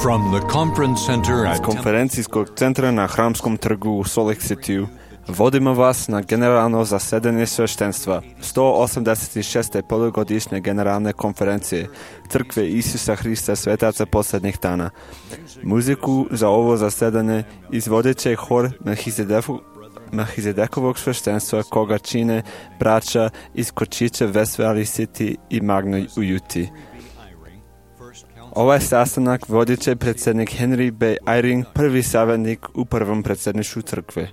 From the conference center Z konferencijskog centra na Hramskom trgu u Salt Lake City vodimo vas na generalno zasedanje sveštenstva 186. polugodišnje generalne konferencije Crkve Isusa Hrista svetaca posljednjih dana. Muziku za ovo zasedanje izvodit će hor Melchizedekovog sveštenstva koga čine braća iz Kočića, West Valley City i Magno u Utah. Ovaj sastanak vodit će predsjednik Henry B. Eyring, prvi savjetnik u prvom predsjedništvu crkve.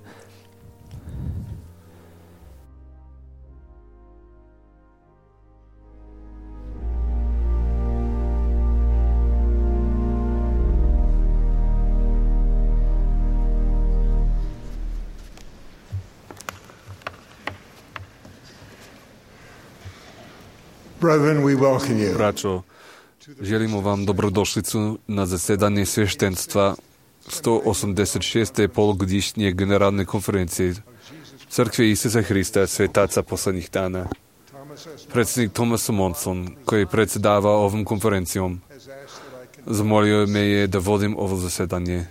Brethren, we welcome you. Braćo, želimo vam dobrodošlicu na zasedanje sveštenstva 186. polugodišnje generalne konferencije Crkve Isusa Hrista svetaca posljednjih dana. Predsjednik Thomas Monson, koji predsjedava ovom konferencijom, zamolio me je da vodim ovo zasedanje.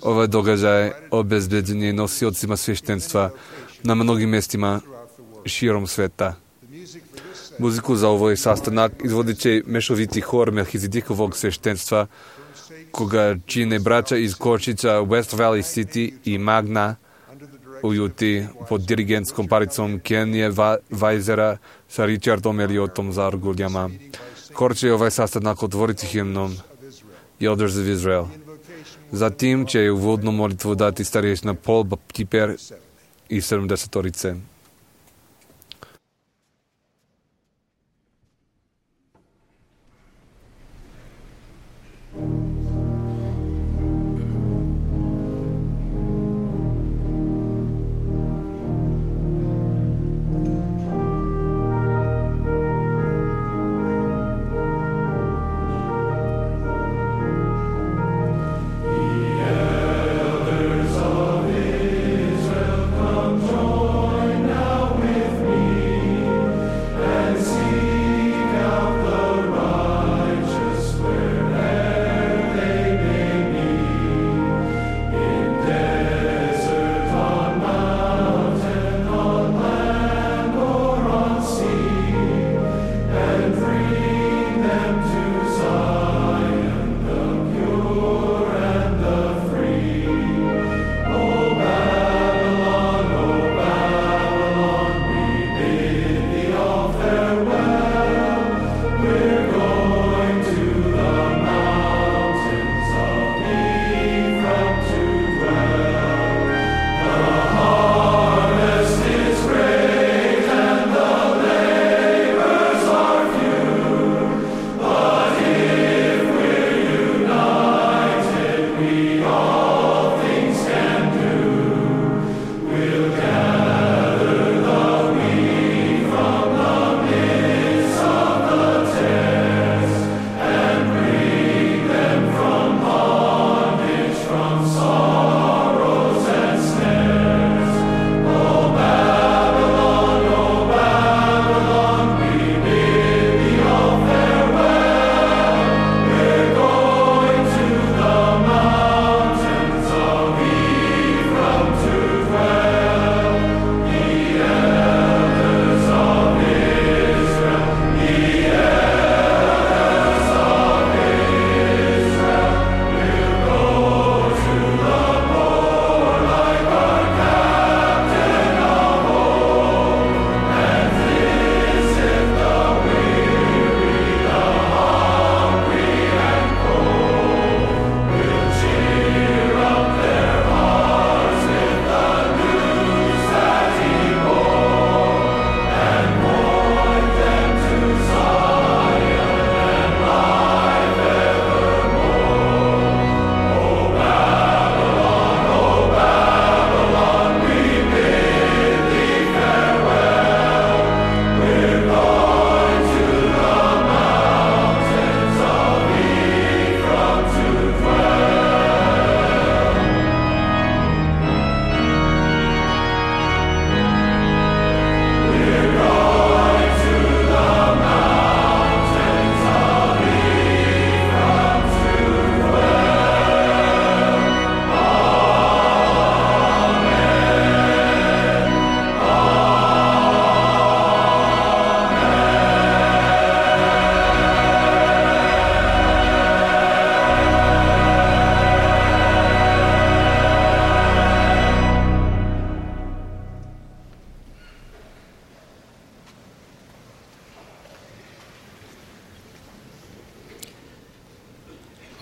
Ovaj događaj obezbeđen je nosiocima sveštenstva na mnogim mjestima širom sveta. Muziku za ovaj sastanak izvodit će mešoviti hor Melchizedekovog sveštenstva, koga čine braća iz Kočića, West Valley City i Magna u Utah pod dirigentskom paricom Kenije Weisera sa Richardom Elliotom za arguljama. Hor će ovaj sastanak otvoriti himnom Elders of Israel. Zatim će uvodnu molitvu dati starješna Paul Baptiper i 70-orice. Elders of Israel, come join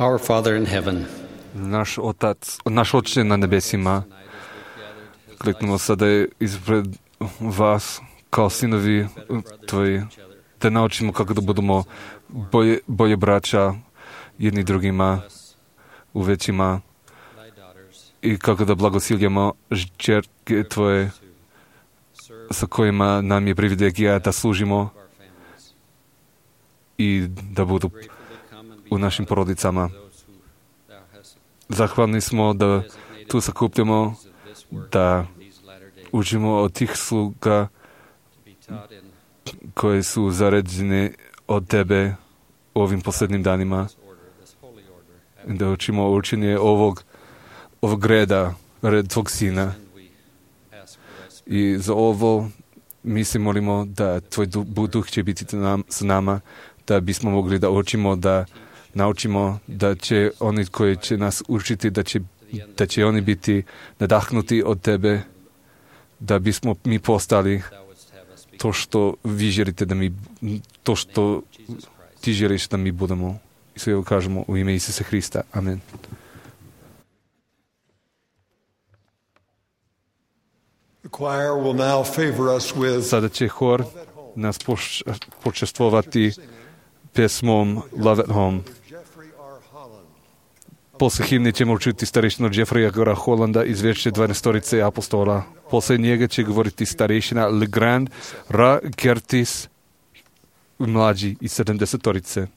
Our Father in heaven, Naš Oče na nebesima, kliknemo sada ispred vas kao sinovi Tvoji, da naučimo kako da budemo bolje braća jedni drugima u većima i kako da blagosiljamo žrtve Tvoje sa kojima nam je privilegija da služimo i da budu u našim porodicama. Zahvalni smo da tu sakupljamo, da učimo od tih sluga koje su zaređene od Tebe u ovim posljednjim danima, da učimo učenje ovog reda, red Tvog Sina. I za ovo mi se molimo da Tvoj duh će biti s nama, da bismo mogli da učimo, da naučimo, da će oni koji će nas učiti, da će oni biti nadahnuti od Tebe, da bismo mi postali to što vi želite da mi, to što Ti želiš da mi budemo. I sve ovo kažemo u ime Isusa Hrista. Amen. Sada će hor nas počestvovati pesmom Love at Home. Posle himne ćemo učiti starešinu Jeffreya R. Hollanda iz Vječne 12 apostola. Posle njega će govoriti starešina Legrand R. Curtis mlađi iz 70.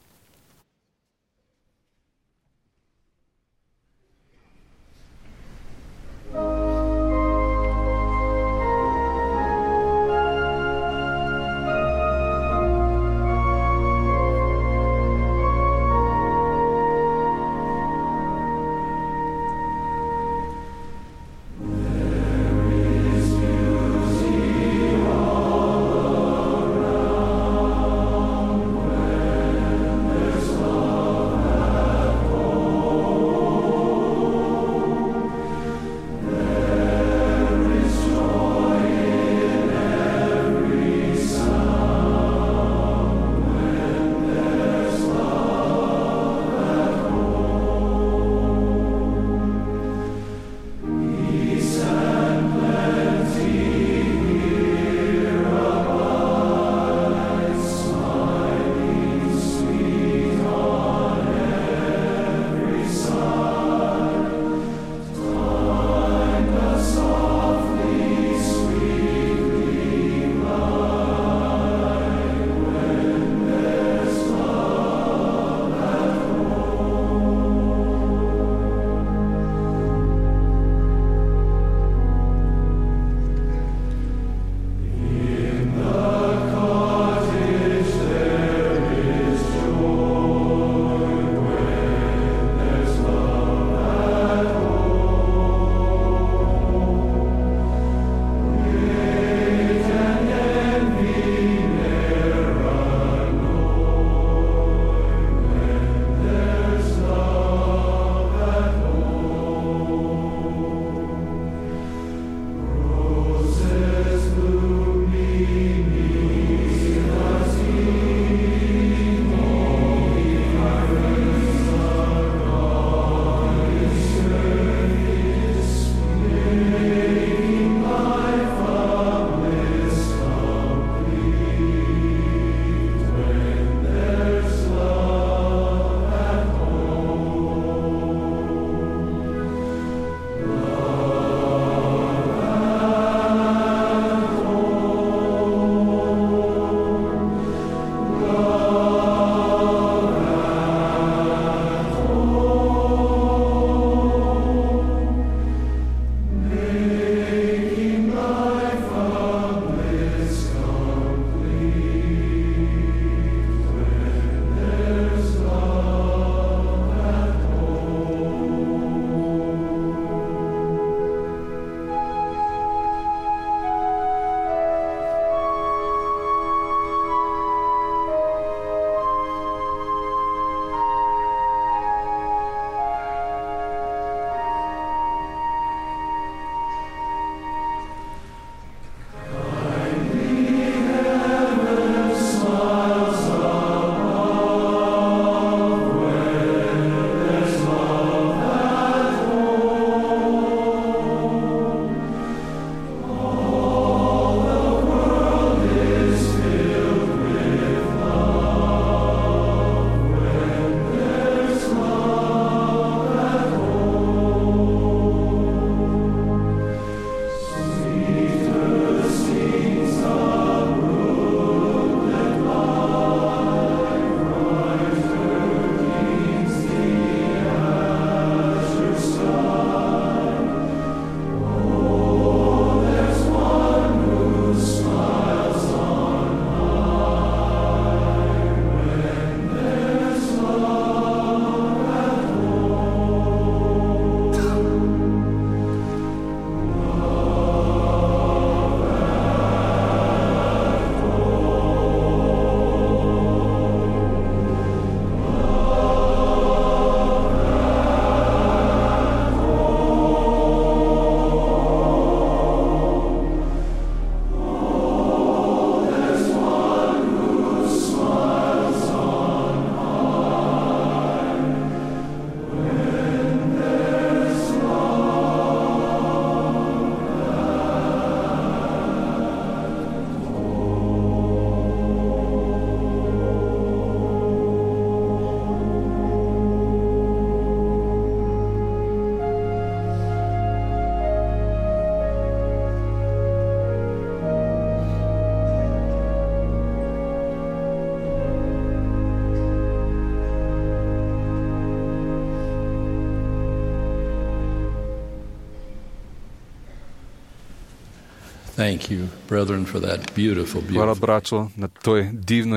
Thank you, brethren, for that beautiful, Hvala, beautiful. braćo, na toj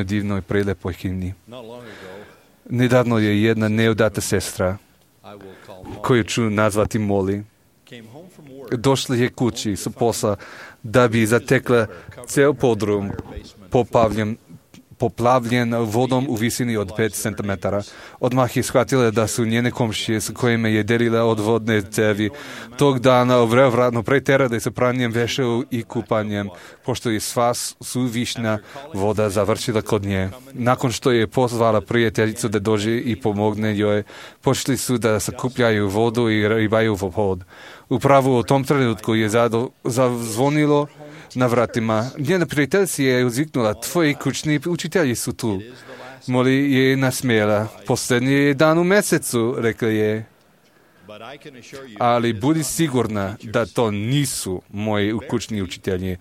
divnoj, prelepoj himni. Nedavno je jedna neudata sestra, koju ću nazvati Moli, došla je kući sa posla da bi zatekla ceo podrum poplavljen vodom u visini od 5 cm. Odmah je shvatila da su njene komšije s kojima je delila od vodne cevi tog dana vrevratno preterale sa pranjem veševa i kupanjem, pošto je sva suvišna voda završila kod nje. Nakon što je pozvala prijateljicu da dođe i pomogne joj, počeli su da sakupljaju vodu i ribaju u pod. Upravo u tom trenutku je zazvonilo na vratima. Njena prijateljica je uzviknula: tvoji kućni učitelji su tu. Moli je nasmijela: posljednji je dan u mesecu, rekla je. Ali budi sigurna da to nisu moji kućni učitelji.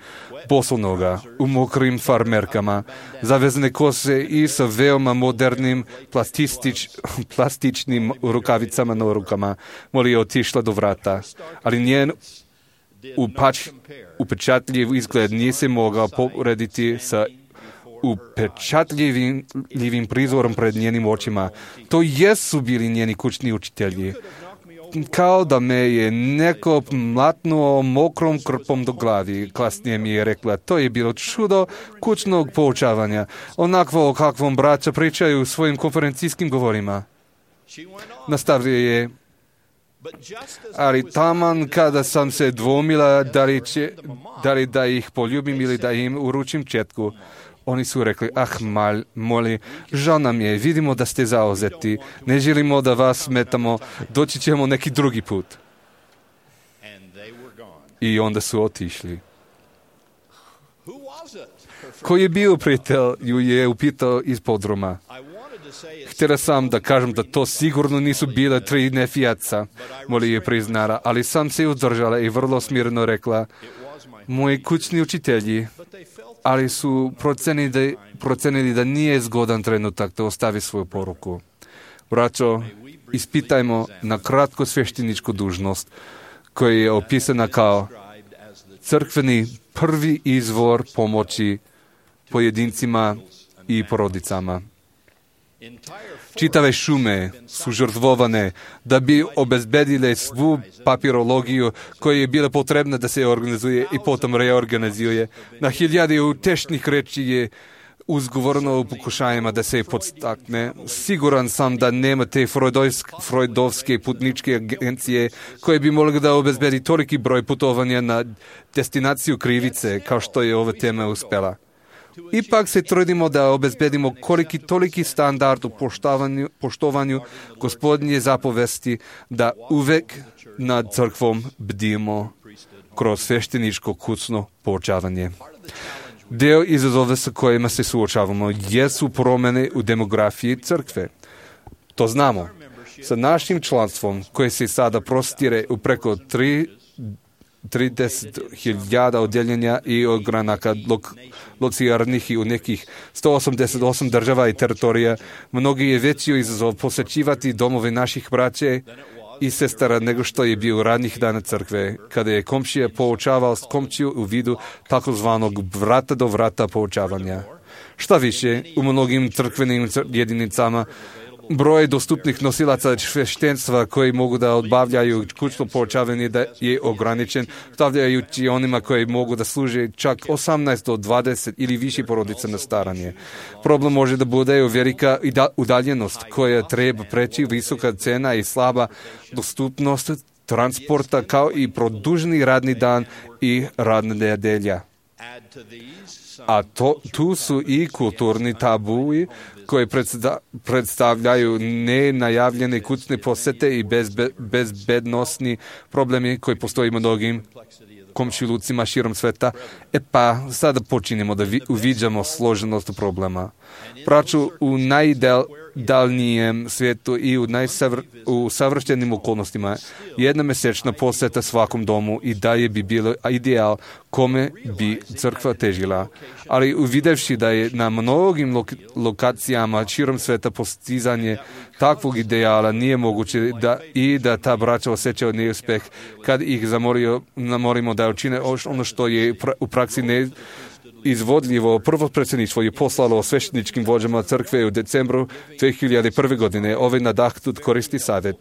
Bosonoga, u mokrim farmerkama, zavezne kose i sa veoma modernim plastičnim rukavicama na rukama. Moli je otišla do vrata, ali njen upečatljiv izgled nije se mogao porediti sa upečatljivim prizorom pred njenim očima. To jesu bili njeni kućni učitelji. Kao da me je neko mlatnuo mokrom krpom do glavi. Kasnije mi je rekla: to je bilo čudo kućnog poučavanja, onakvo o kakvom braća pričaju u svojim konferencijskim govorima. Nastavio je: ali taman kada sam se dvomila da li da ih poljubim ili da im uručim četku, oni su rekli: Moli, žao nam je, vidimo da ste zauzeti, ne želimo da vas smetamo, doći ćemo neki drugi put. I onda su otišli. Ko je bio prijatelj, ju je upitao iz podruma. Htjela sam da kažem da to sigurno nisu bile 3 nefijaca, Moli je priznala, ali sam se uzdržala i vrlo smireno rekla: moji kućni učitelji, ali su procenili da nije zgodan trenutak da ostavi svoju poruku. Braćo, ispitajmo na kratko svešteničku dužnost, koja je opisana kao crkveni prvi izvor pomoći pojedincima i porodicama. Čitave šume su žrtvovane da bi obezbedile svu papirologiju koja je bila potrebna da se organizuje i potom reorganizuje. Na hiljade utešnih reči je uzgovorno u pokušajima da se podstakne. Siguran sam da nema te freudovske putničke agencije koje bi mogli da obezbedi toliki broj putovanja na destinaciju krivice kao što je ova tema uspela. Ipak se trudimo da obezbedimo toliki standard u poštovanju Gospodnje zapovesti, da uvek nad crkvom bdimo kroz svešteničko kućno poučavanje. Deo izazova sa kojima se suočavamo jesu promjene u demografiji crkve. To znamo. Sa našim članstvom, koje se sada prostire u preko 30.000 odjeljenja i ogranaka lociranih i u nekih 188 država i teritorija, mnogi je veći izazov posjećivati domove naših braće i sestara nego što je bio radnih dana crkve, kada je komšija poučavao komšiju u vidu takozvanog vrata do vrata poučavanja. Šta više, u mnogim crkvenim jedinicama broj dostupnih nosilaca sveštenstva koji mogu da odbavljaju kućno poučavanje da je ograničen, stavljajući onima koji mogu da služe čak 18 do 20 ili više porodica na staranje. Problem može da bude velika udaljenost koja treba preći, visoka cena i slaba dostupnost transporta, kao i produženi radni dan i radna nedelja. A tu su i kulturni tabui koji predstavljaju nenajavljene kućne posete i bezbednosni problemi koji postoji u mnogim komšilucima širom sveta. Pa sada počinjemo da uviđamo složenost problema. Braću, u najdalnijem svijetu i u savršenim okolnostima. Jedna mesečna posjeta svakom domu i dalje bi bilo ideal kome bi crkva težila. Ali uvidevši da je na mnogim lokacijama širom sveta postizanje takvog ideala nije moguće da ta braća osjećaju neuspeh kad ih namorimo da učine ono što je u praksi ne izvodljivo. Prvo predsjedništvo je poslalo svešteničkim vođama crkve u decembru 2001. godine. Ovaj nadahnut koristi savjet.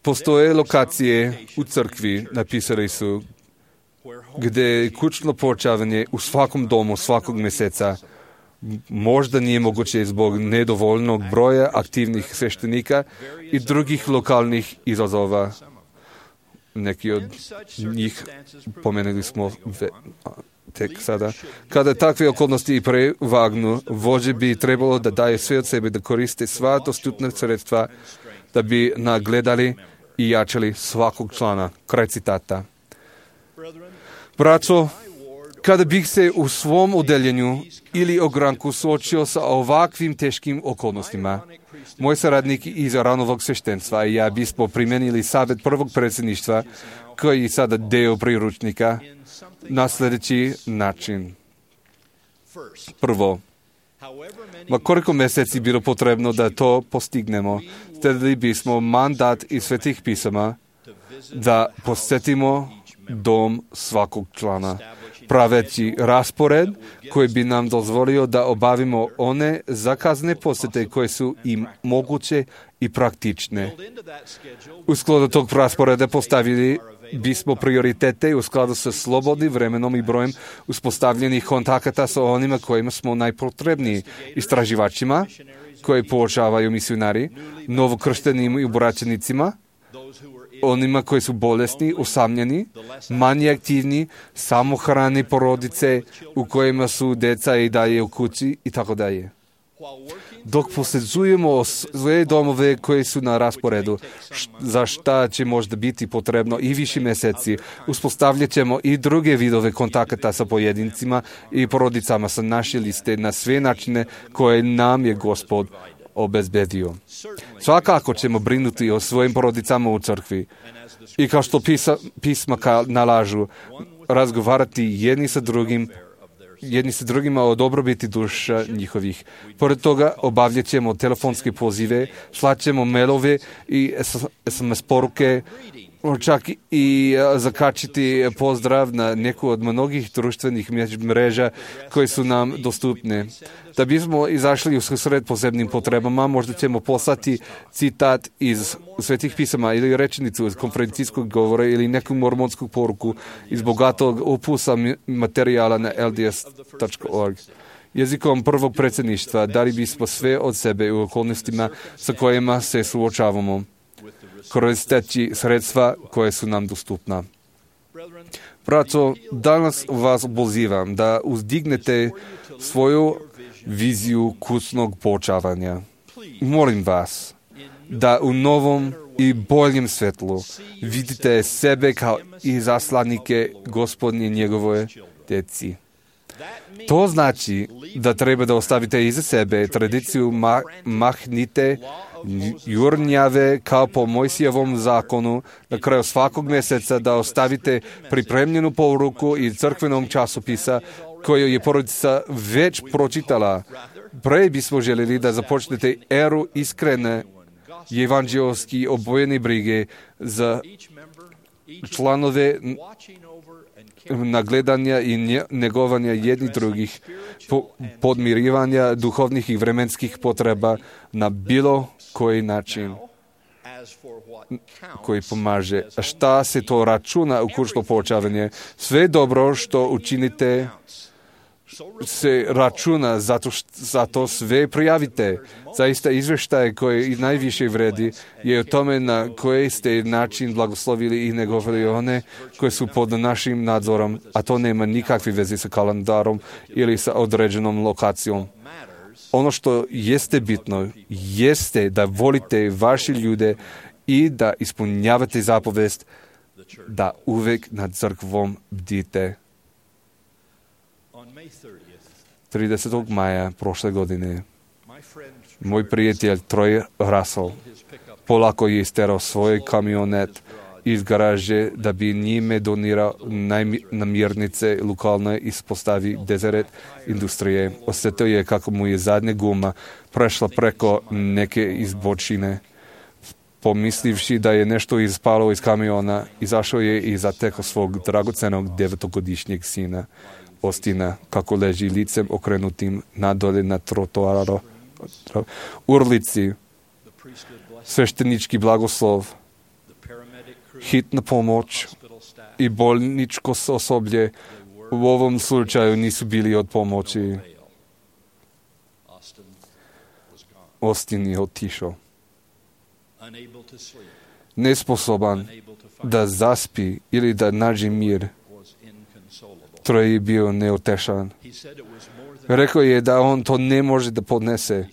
Postoje lokacije u crkvi, napisali su, gdje kućno poučavanje u svakom domu svakog mjeseca možda nije moguće zbog nedovoljnog broja aktivnih sveštenika i drugih lokalnih izazova. Neki od njih pomenuli smo tek sada. Kada takve okolnosti prevagnu, vođe bi trebalo da daje sve od sebe, da koriste sva dostupna sredstva, da bi nagledali i jačali svakog člana. Kraj citata. Braćo, kada bih se u svom odeljenju ili ogranku suočio sa ovakvim teškim okolnostima, moj saradnik iz ranovog sveštenstva i ja bismo primijenili savjet prvog predsjedništva, koji je sada deo priručnika, na sljedeći način. Prvo, ma koliko mjeseci bilo potrebno da to postignemo, stedili bismo mandat iz svetih pisama da posjetimo dom svakog člana, praveći raspored koji bi nam dozvolio da obavimo one zakazne posjete koje su im moguće i praktične. U skladu tog rasporeda postavili bismo prioritete u skladu sa slobodnim vremenom i brojem uspostavljenih kontakata sa onima kojima smo najpotrebniji, istraživačima koji poučavaju misionari, novokrštenim i obraćenicima, onima koji su bolesni, usamljeni, manje aktivni, samohrane porodice u kojima su deca i dalje u kući i tako dalje. Dok posjećujemo sve domove koji su na rasporedu, za šta će možda biti potrebno i više mjeseci, uspostavljat ćemo i druge vidove kontakata sa pojedincima i porodicama sa naše liste na sve načine koje nam je Gospod obezbedio. Svakako ćemo brinuti o svojim porodicama u crkvi i kao što pisma nalažu, razgovarati jedni sa drugima o dobrobiti duša njihovih. Pored toga obavljat ćemo telefonske pozive, slat ćemo mailove i SMS poruke, čak i zakačiti pozdrav na neku od mnogih društvenih mreža koje su nam dostupne. Da bismo izašli u susret posebnim potrebama, možda ćemo poslati citat iz svetih pisama ili rečenicu iz konferencijskog govora ili neku mormonsku poruku iz bogatog opusa materijala na lds.org. Jezikom prvog predsjedništva dali bismo sve od sebe u okolnostima sa kojima se suočavamo, koristeći sredstva koje su nam dostupna. Braćo, danas vas pozivam da uzdignete svoju viziju kućnog poučavanja. Molim vas da u novom i boljem svetlu vidite sebe kao izaslanike Gospodnje njegove djeci. To znači da treba da ostavite iza sebe tradiciju mahnite, jurnjave kao po Mojsijevom zakonu, na kraju svakog mjeseca da ostavite pripremljenu poruku iz crkvenog časopisa koju je porodica već pročitala. Pre bismo željeli da započnete eru iskrene evanđelski obojene brige za članove nagledanja i negovanja jednih drugih, podmirivanja duhovnih i vremenskih potreba na bilo koji način koji pomaže. A šta se to računa u kućno poučavanje? Sve dobro što učinite se računa, zato sve prijavite. Zaista izvještaj koji najviše vredi je o tome na koji ste način blagoslovili i negovali one koji su pod našim nadzorom, a to nema nikakve veze sa kalendarom ili sa određenom lokacijom. Ono što jeste bitno jeste da volite vaše ljude i da ispunjavate zapovest da uvek nad crkvom bdite. 30. maja prošle godine Moj prijatelj Troy Russell polako je isterao svoj kamionet iz garaže da bi njime donirao namirnice lokalne ispostavi Deseret industrije. Osjetio je kako mu je zadnja guma prešla preko neke izbočine. Pomislivši da je nešto ispalo iz kamiona, izašao je i zatekao svog dragocenog 9-godišnjeg sina, Austina, kako leži licem okrenutim nadolje na trotoaru. Urlici, sveštenički blagoslov, hitna pomoć i bolničko osoblje u ovom slučaju nisu bili od pomoći. Austin je otišao. Nesposoban da zaspi ili da nađe mir. Troy je bio neutešan. Rekao je da on to ne može da podnese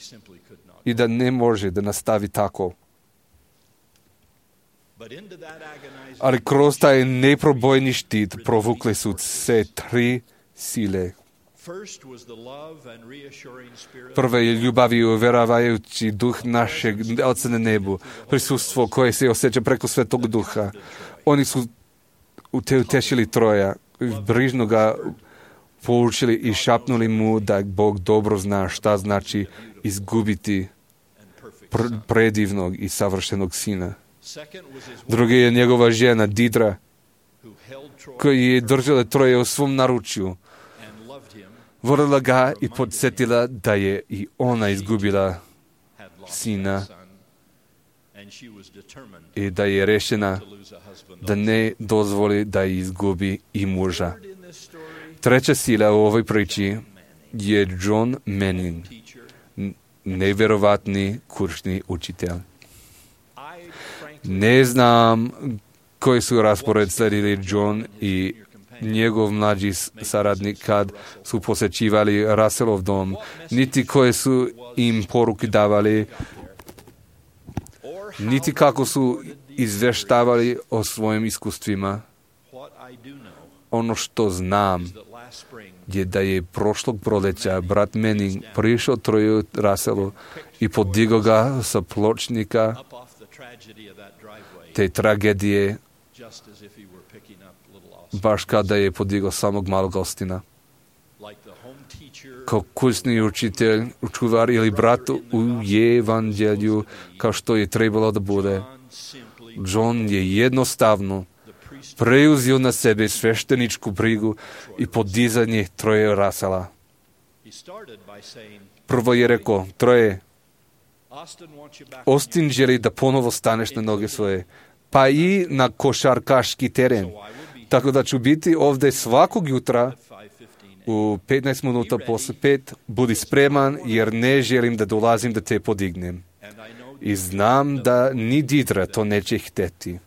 i da ne može da nastavi tako. Ali kroz taj neprobojni štit provukle su se 3 sile. Prva je ljubav i uvjeravajući duh našeg Oca na nebu, prisustvo koje se osjeća preko Svetog Duha. Oni su utešili Troja, brižno ga poučili i šapnuli mu da Bog dobro zna šta znači izgubiti predivnog i savršenog sina. Drugi je njegova žena Didra, koja je držala Troja u svom naručju. Volila ga i podsjetila da je i ona izgubila sina i da je rešena da ne dozvoli da izgubi i muža. Treća sila u ovoj priči je John Manning, nevjerovatni kursni učitelj. Ne znam koji su raspored sledili John i njegov mlađi saradnik kad su posjećivali Russellov dom, niti koje su im poruke davali, niti kako su izvještavali o svojim iskustvima. Ono što znam je da je prošlog proleća brat Manning prišao Troju Russellu i podigao ga sa pločnika te tragedije, baš kada je podigao samog malog Austina. Kao kursni učitelj, čuvar ili brat u evanđelju, kao što je trebalo da bude, John je jednostavno preuzeo na sebe svešteničku brigu i podizanje Troja Russella. Prvo je rekao, Troje, Austin želi da ponovo staneš na noge svoje, pa i na košarkaški teren. Tako da ću biti ovdje svakog jutra u 15 minuta posle 5. Budi spreman jer ne želim da dolazim da te podignem. I znam da ni Didra to neće hteti.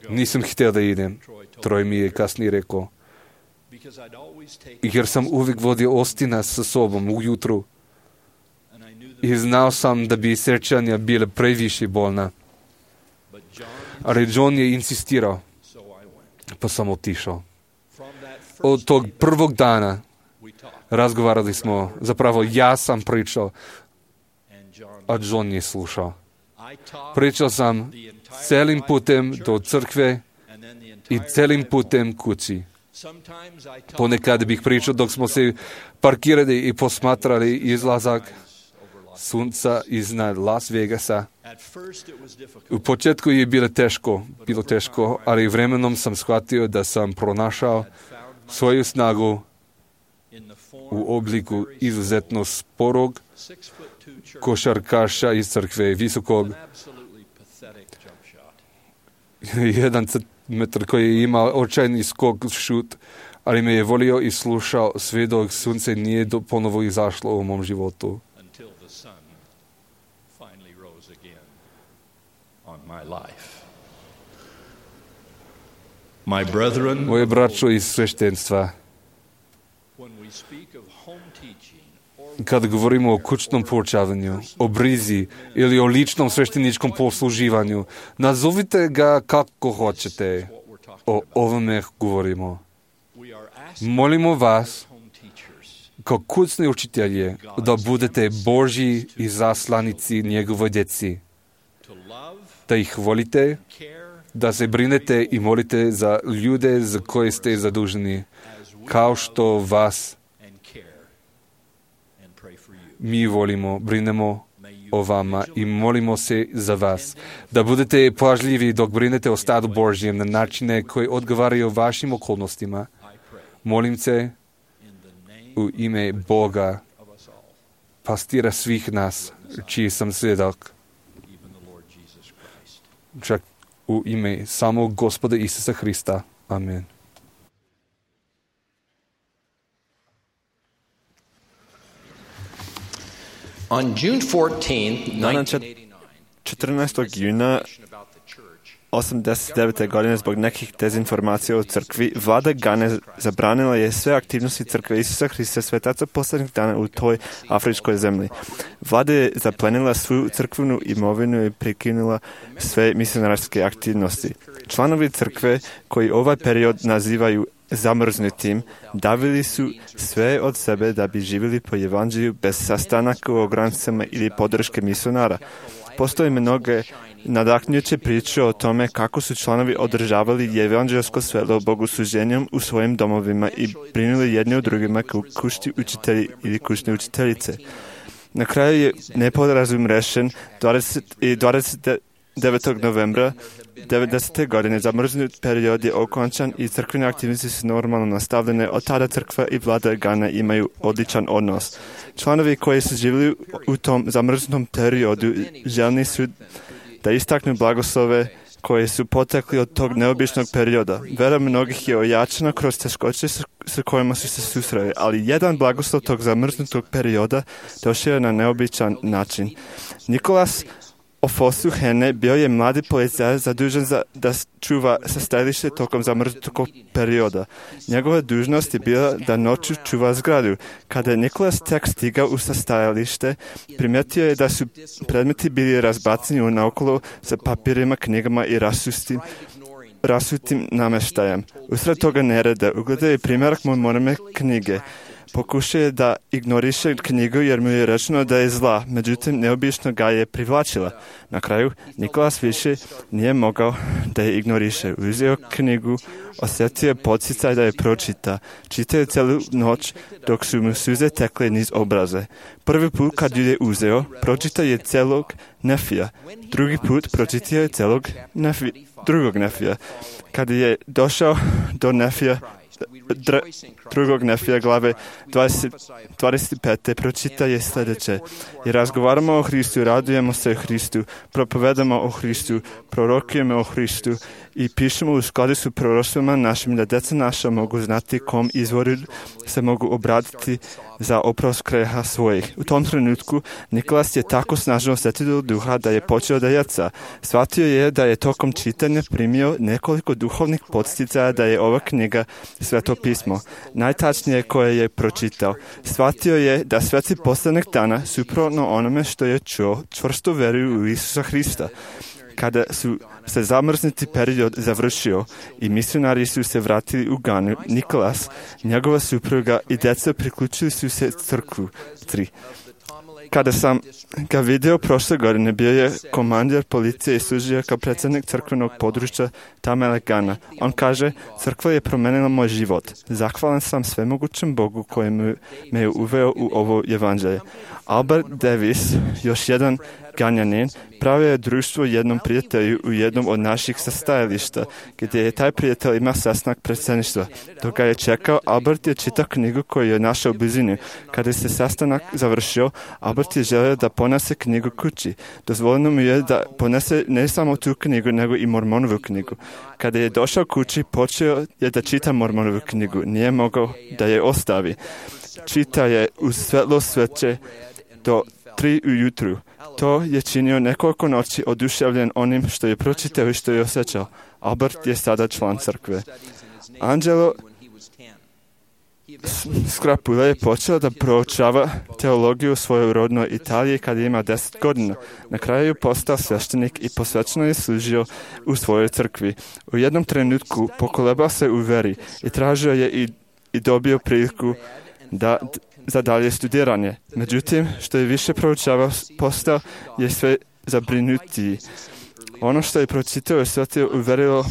Nisam htio da idem, Troy mi je kasnije rekao, jer sam uvijek vodio Austina sa sobom ujutru i znao sam da bi srčanja bile previše bolna. Ali John je insistirao, pa sam otišao. Od tog prvog dana razgovarali smo, zapravo ja sam pričao, a John je slušao. Pričao sam celim putem do crkve i celim putem kući. Ponekad bih pričao dok smo se parkirali i posmatrali izlazak sunca iznad Las Vegasa. U početku je bilo teško, ali vremenom sam shvatio da sam pronašao svoju snagu u obliku izuzetno sporog košarkaša iz crkve, visokog 1 centimetar koji je imao očajni skok šut, ali me je volio i slušao sve dok sunce nije ponovo izašlo u mom životu. Moje braćo iz sveštenstva, kad govorimo o kućnom poučavanju, o brizi ili o ličnom svešteničkom posluživanju, nazovite ga kako hoćete. O ovome govorimo. Molimo vas, kao kućni učitelji, da budete Božji i zaslanici njegove djeci, da ih volite, da se brinete i molite za ljude za koje ste zaduženi, kao što vas mi volimo, brinemo o vama i molimo se za vas. Da budete pažljivi dok brinete o stadu Božjem na načine koji odgovaraju vašim okolnostima. Molim se u ime Boga, pastira svih nas, čiji sam svjedok, čak u ime samog Gospoda Isusa Hrista. Amen. On June 14, 14. juna 89. godine zbog nekih dezinformacija o crkvi, vlada Gane zabranila je sve aktivnosti crkve Isusa Hrista svetaca posljednjih dana u toj afričkoj zemlji. Vlada je zaplenila svu crkvenu imovinu i prekinula sve misionarske aktivnosti. Članovi crkve, koji ovaj period nazivaju zamrznutim, davili su sve od sebe da bi živjeli po evanđelju bez sastanaka u granicama ili podrške misionara. Postoje mnoge nadahnjuće priče o tome kako su članovi održavali evanđelsko svelo bogosluženjem u svojim domovima i brinuli jedni o drugima kao kućni učitelji ili kućne učiteljice. Na kraju je neporazum rešen 29. novembra 90. godine. Zamrznut period je okončan i crkvene aktivnosti su normalno nastavljene. Od tada crkva i vlada Gana imaju odličan odnos. Članovi koji su živjeli u tom zamrznutom periodu željni su da istaknu blagoslove koje su potekli od tog neobičnog perioda. Vera mnogih je ojačana kroz teškoće sa kojima su se susreli, ali jedan blagoslov tog zamrznutog perioda došao je na neobičan način. Nikolas Ofosu Hene bio je mladi policajac zadužen da čuva sastajalište tokom zamrznutog perioda. Njegova dužnost je bila da noću čuva zgradu. Kada je Nikolas tek stigao u sastajalište, primijetio je da su predmeti bili razbaceni naokolo sa papirima, knjigama i rasutim namještajem. Usred toga nereda ugledao je primjerak mormone knjige. Pokušao je da ignoriše knjigu jer mu je rečeno da je zla, međutim neobično ga je privlačila. Na kraju Nikolas više nije mogao da je ignoriše. Uzeo knjigu, osjetio podsticaj da je pročita. Čitao je celu noć dok su mu suze tekle niz obraze. Prvi put kad ju je uzeo, pročitao je celog Nefija. Drugi put pročitao je celog drugog Nefija. Kad je došao do Nefija, drugog Nefija glave 25. pročita je sljedeće. I razgovaramo o Hristu, radujemo se o Hristu, propovedamo o Hristu, prorokujemo o Hristu i pišemo u skladu s proroštvima našim da djeca naša mogu znati kom izvoru se mogu obratiti za oprost greha svojih. U tom trenutku Nikolas je tako snažno osjetio duha da je počeo da jaca. Shvatio je da je tokom čitanja primio nekoliko duhovnih podsticaja da je ova knjiga Sveto pismo, najtačnije koje je pročitao. Shvatio je da sveci posljednjeg dana, suprotno onome što je čuo, čvrsto veruju u Isusa Hrista. Kada su se zamrznuti period završio i misionari su se vratili u Ganu, Nikolas, njegova supruga i djeca priključili su se crkvu. 3. Kada sam ga vidio prošle godine, bio je komandir policije i služio kao predsjednik crkvenog područja Tamele Gana. On kaže, crkva je promenila moj život. Zahvalan sam svemogućem Bogu koji me je uveo u ovo evanđelje. Albert Davis, još jedan Ganjanin, pravio je društvo jednom prijatelju u jednom od naših sastajališta, gdje je taj prijatelj imao sastanak predsjedništva. Dok ga je čekao, Albert je čitao knjigu koju je našao u blizini. Kada se sastanak završio, Albert je želio da ponese knjigu kući. Dozvoljeno mu je da ponese ne samo tu knjigu, nego i Mormonovu knjigu. Kada je došao kući, počeo je da čita Mormonovu knjigu. Nije mogao da je ostavi. Čita je uz svetlo sveće do 3 ujutru. To je činio nekoliko noći oduševljen onim što je pročitao i što je osjećao. Albert je sada član crkve. Angelo Skrapula je počeo da proučava teologiju u svojoj rodnoj Italiji kada ima 10 godina. Na kraju je postao sveštenik i posvećeno je služio u svojoj crkvi. U jednom trenutku pokolebao se u veri i tražio je i dobio priliku da za dalje studiranje. Međutim, što je više proučavao, postao je sve zabrinutiji. Ono što je pročitao i shvatio uverilo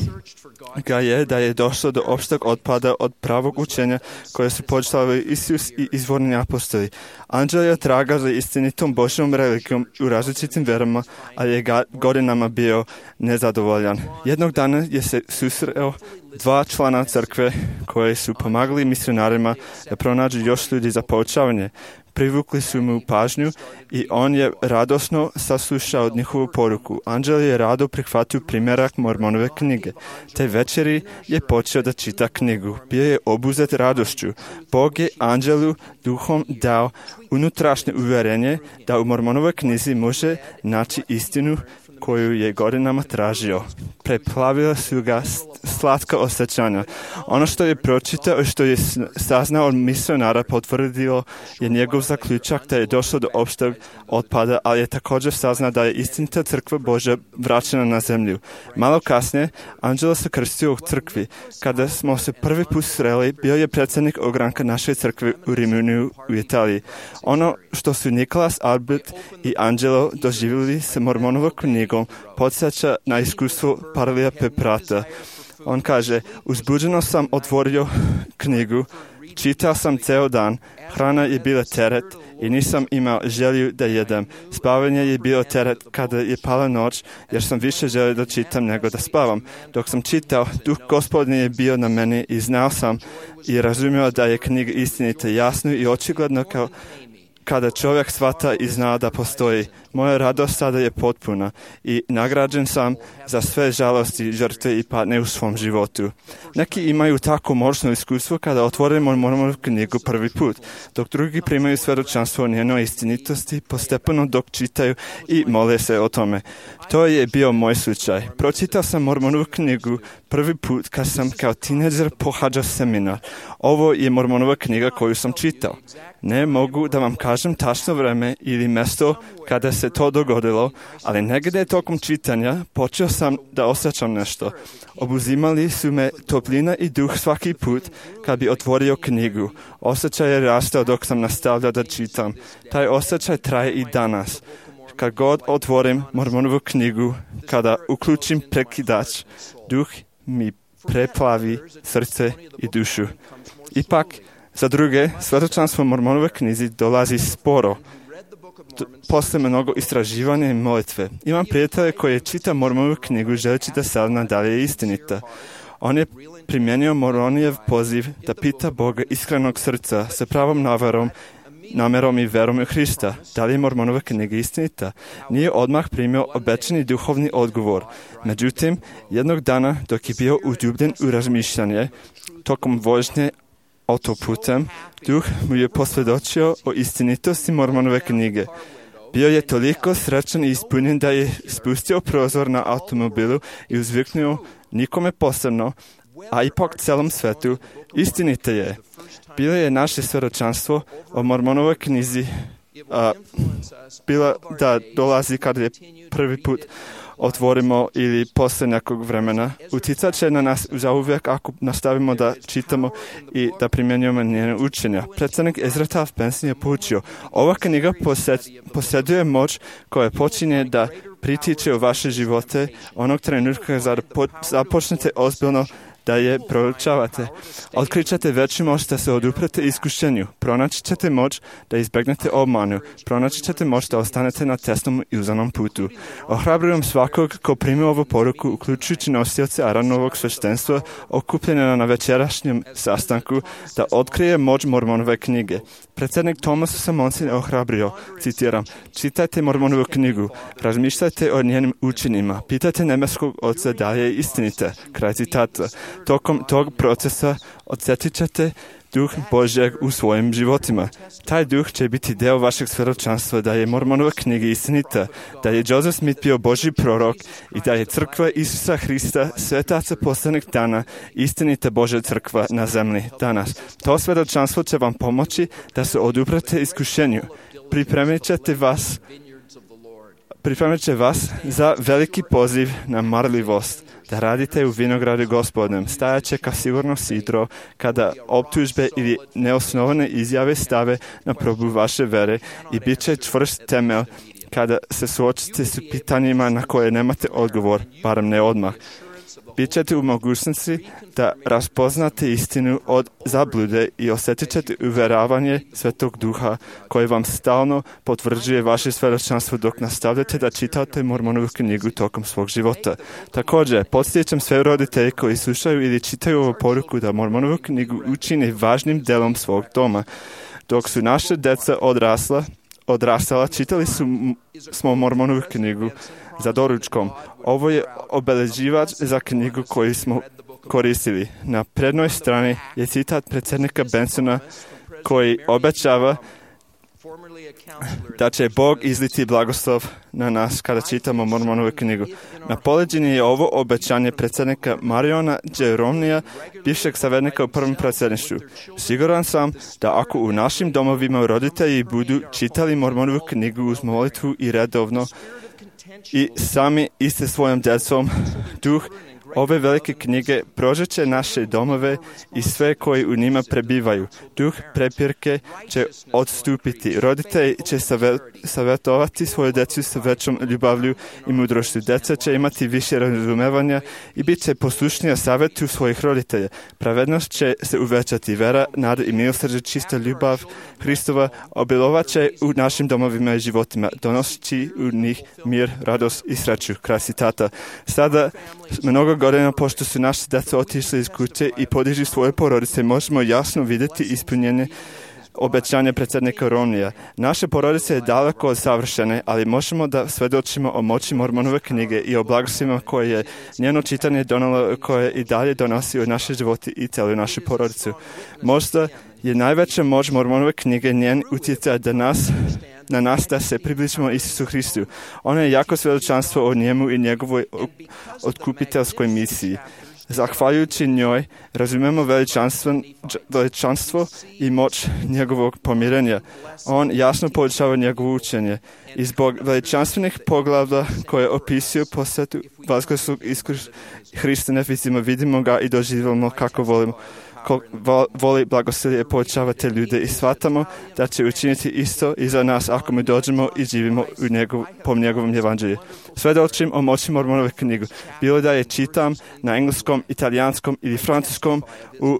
ga je da je došlo do opšteg otpada od pravog učenja koje su počitavali Isus i izvorni apostoli. Anđel je traga za istinitom Božjom religijom u različitim verama, a je godinama bio nezadovoljan. Jednog dana je se susreo dva člana crkve koje su pomagali misionarima da pronađu još ljudi za poučavanje. Privukli su mu pažnju i on je radosno saslušao njihovu poruku. Anđel je rado prihvatio primjerak Mormonove knjige. Te večeri je počeo da čita knjigu. Bio je obuzet radošću. Bog je Anđelu duhom dao unutrašnje uvjerenje da u Mormonovoj knjizi može naći istinu koju je godinama tražio. Preplavila su ga slatka osjećanja. Ono što je pročitao i što je saznao od misionara potvrdilo je njegov zaključak da je došlo do opšteg otpada, ali je također saznao da je istinita crkva Božja vraćena na zemlju. Malo kasnije, Anđelo se krstio u crkvi. Kada smo se prvi put sreli, bio je predsjednik ogranka naše crkve u Rimini u Italiji. Ono što su Nikolas, Albert i Anđelo doživjeli sa Mormonovom knjigom podsjeća na iskustvo Parlija Peprata. On kaže, uzbuđeno sam otvorio knjigu, čitao sam ceo dan, hrana je bila teret i nisam imao želju da jedem. Spavanje je bilo teret kada je pala noć, jer sam više želio da čitam nego da spavam. Dok sam čitao, duh Gospodnji je bio na meni i znao sam i razumio da je knjiga istinita, jasno i očigledno kao kada čovjek shvata i zna da postoji. Moja radost sada je potpuna i nagrađen sam za sve žalosti, žrtve i patnje u svom životu. Neki imaju tako moćno iskustvo kada otvorimo Mormonovu knjigu prvi put, dok drugi primaju svjedočanstvo o njenoj istinitosti postepeno dok čitaju i mole se o tome. To je bio moj slučaj. Pročitao sam Mormonovu knjigu prvi put kad sam kao tineđer pohađao seminar. Ovo je Mormonova knjiga koju sam čitao. Ne mogu da vam kažem tačno vreme ili mjesto kada se to dogodilo, ali negdje tokom čitanja počeo sam da osjećam nešto. Obuzimali su me toplina i duh svaki put kad bi otvorio knjigu. Osjećaj je rastao dok sam nastavljao da čitam. Taj osjećaj traje i danas. Kad god otvorim Mormonovu knjigu, kada uključim prekidač, duh mi preplavi srce i dušu. Ipak, za druge, svjedočanstvo Mormonove knjizi dolazi sporo. Posle mnogo istraživanja i molitve. Imam prijatelje koji čita Mormonovu knjigu želeći da sazna da li je istinita. On je primijenio Moronijev poziv da pita Boga iskrenog srca sa pravom namerom i verom u Hrista. Da li je Mormonova knjiga istinita? Nije odmah primio obećani duhovni odgovor. Međutim, jednog dana dok je bio udubljen u razmišljanje, tokom vožnje autoputem, duh mu je posvjedočio o istinitosti Mormonove knjige. Bio je toliko srećan i ispunjen da je spustio prozor na automobilu i uzviknuo nikome posebno, a ipak celom svetu, istinite je. Bilo je naše svjedočanstvo o Mormonovoj knjizi bila da dolazi kada je prvi put otvorimo ili posle nekog vremena. Utjecat će na nas zauvijek ako nastavimo da čitamo i da primjenjujemo njene učenja. Predsjednik Ezra Taft Benson je poučio, ova knjiga posjeduje moć koja počinje da pritiče u vaše živote onog trenutka kada započnete ozbiljno da je proučavate. Otkrićete veću moć da se oduprete iskušenju. Pronaći ćete moć da izbjegnete obmanu. Pronaći ćete moć da ostanete na tesnom i uzanom putu. Ohrabrujem svakog ko primi ovu poruku, uključujući nosioce Aaronovog sveštenstva, okupljena na večerašnjem sastanku, da otkrije moć Mormonove knjige. Predsjednik Thomas S. Monson ohrabrio, citiram, čitajte Mormonovu knjigu, razmišljajte o njenim učinima, pitajte nebeskog Oca da li je istinita, kraj citata. Tokom tog procesa osjetit ćete duh Božjeg u svojim životima. Taj duh će biti deo vašeg svjedočanstva da je Mormonova knjiga istinita, da je Joseph Smith bio Božji prorok i da je crkva Isusa Hrista, svetaca poslednjih dana, istinita Božja crkva na zemlji danas. To svjedočanstvo će vam pomoći da se oduprete iskušenju. Pripremit će vas za veliki poziv na marljivost. da radite u vinogradu Gospodnjem. Stajat će ka sigurno sidro kada optužbe ili neosnovane izjave stave na probu vaše vere i bit će čvrst temelj kada se suočite s pitanjima na koje nemate odgovor, barem ne odmah. Bićete u mogućnosti da raspoznate istinu od zablude i osjetit ćete uvjeravanje Svetog Duha koji vam stalno potvrđuje vaše svjedočanstvo dok nastavljate da čitate Mormonovu knjigu tokom svog života. Također, podsjećam sve roditelje koji slušaju ili čitaju ovu poruku da Mormonovu knjigu učini važnim delom svog doma. Dok su naše djeca odrastala, čitali smo Mormonovu knjigu za doručkom. Ovo je obeleživač za knjigu koju smo koristili. Na prednoj strani je citat predsjednika Bensona koji obećava da će Bog izliti blagoslov na nas kada čitamo Mormonovu knjigu. Na poleđini je ovo obećanje predsjednika Mariona J. Romneya, bivšeg savjetnika u prvom predsjedništvu. Siguran sam da ako u našim domovima roditelji budu čitali Mormonovu knjigu uz molitvu i redovno i sami iste svojom djecom, duh ove velike knjige prožeće naše domove i sve koji u njima prebivaju. Duh prepirke će odstupiti. Roditelji će savjetovati svoju djecu sa većom ljubavlju i mudrošću. Djeca će imati više razumevanja i bit će poslušnija savjetu svojih roditelja. Pravednost će se uvećati. Vera, nada i milosrđe, čista ljubav Hristova obilovat će u našim domovima i životima, donosi u njih mir, radost i sreću. Kraj citata. Sada, mnogo godina pošto su naši djeca otišli iz kuće i podižu svoje porodice, možemo jasno vidjeti ispunjenje obećanja predsjednika Romneya. Naše porodice je daleko od savršene, ali možemo da svedočimo o moći Mormonove knjige i o blagoslovima koje je njeno čitanje donalo, koje i dalje donosi u naše živote i cijelu našu porodicu. Možda je najveća moć Mormonove knjige njen utjecaj na nas da se približimo Isusu Hristu. Ono je jako svjedočanstvo o njemu i njegovoj otkupiteljskoj misiji. Zahvaljujući njoj razumijemo veličanstvo i moć njegovog pomirenja. On jasno podučava njegovo učenje. I zbog veličanstvenih poglavlja koje opisuju posvetu vaskrslog Hrista vidimo ga i doživljamo kako volimo. Voli blagoslovlje povećavati ljude i shvatamo da će učiniti isto i za nas ako mi dođemo i živimo po njegovom evanđelju. Svedočim o moći Mormonove knjigu. Bilo da je čitam na engleskom, italijanskom ili francuskom u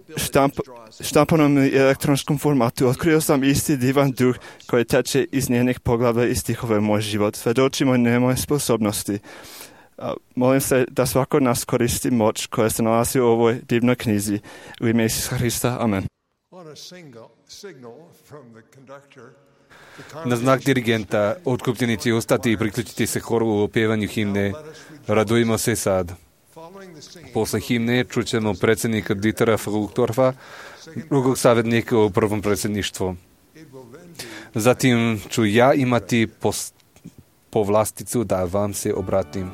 štampanom ili elektronskom formatu. Otkrio sam isti divan duh koji teče iz njenih poglavlja i stihova u moj život. Svedočimo njemu sposobnosti. Molim se da svako od nas koristi moć koja se nalazi u ovoj divnoj knjizi. U ime Isusa Hrista. Amen. Na znak dirigenta otkupljenici ustati i priključiti se horu u opjevanju himne Radujmo se sad. Posle himne čućemo predsjednika Dietera Fruchtorfa, drugog savjetnika u prvom predsjedništvu. Zatim ću ja imati povlasticu da vam se obratim.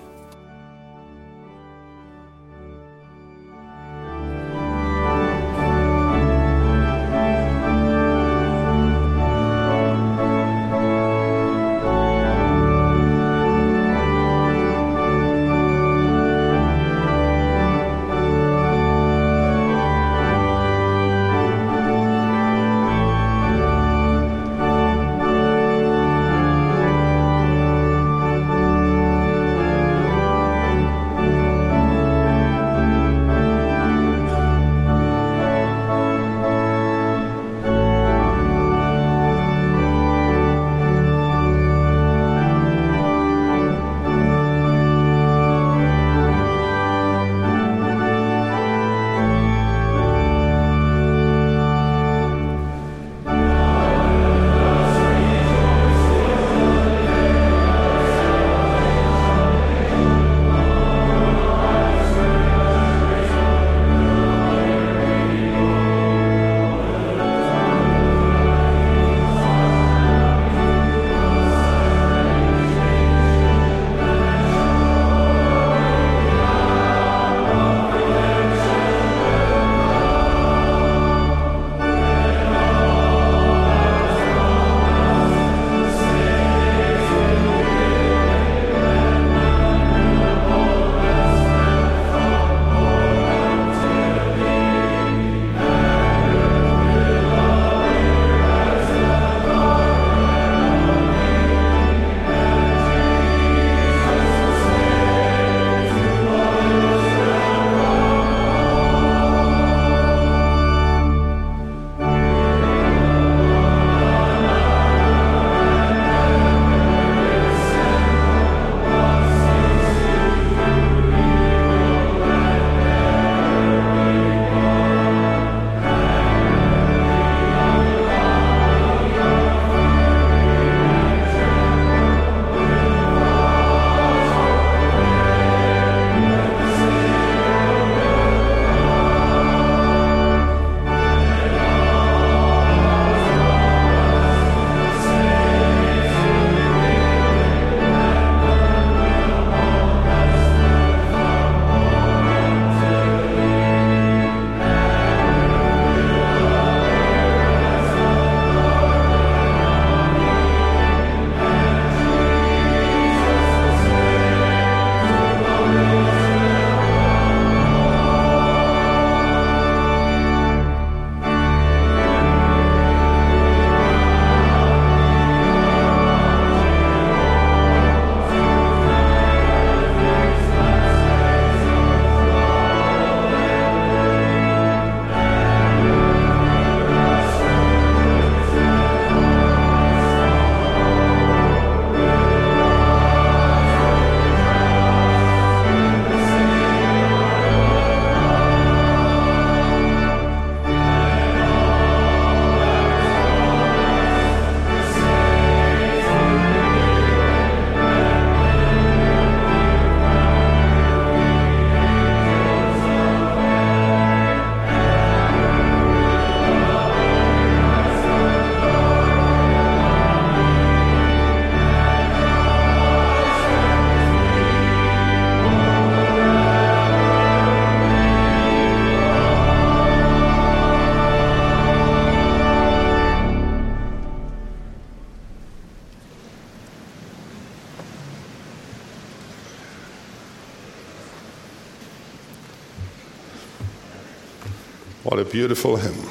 What a beautiful hymn.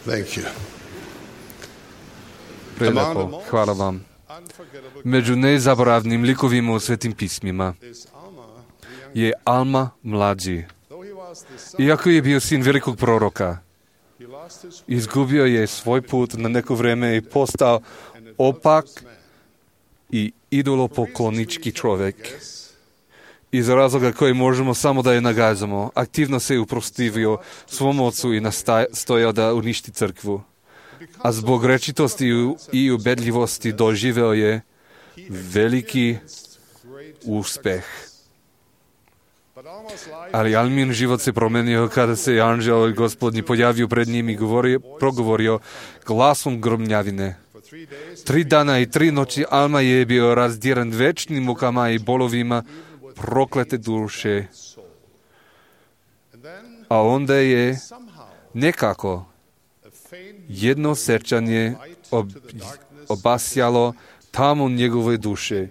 Thank you. Prelepo, hvala vam. Među nezaboravnim likovima u Svetim pismima je Alma mlađi. Iako je bio sin velikog proroka, izgubio je svoj put na neko vreme i postao opak i idolopoklonički čovjek. Iz razloga koji možemo samo da je nagazamo, aktivno se uprotivio svom ocu i nastojao da uništi crkvu. A zbog rečitosti i ubedljivosti doživeo je veliki uspeh. Ali Almin život se promenio kada se anđeo Gospodnji pojavio pred njim i progovorio glasom gromljavine. 3 dana i 3 noći Alma je bio razdiran večnim mukama i bolovima proklete duše. A onda je nekako jedno srčanje obasjalo tamo njegove duše.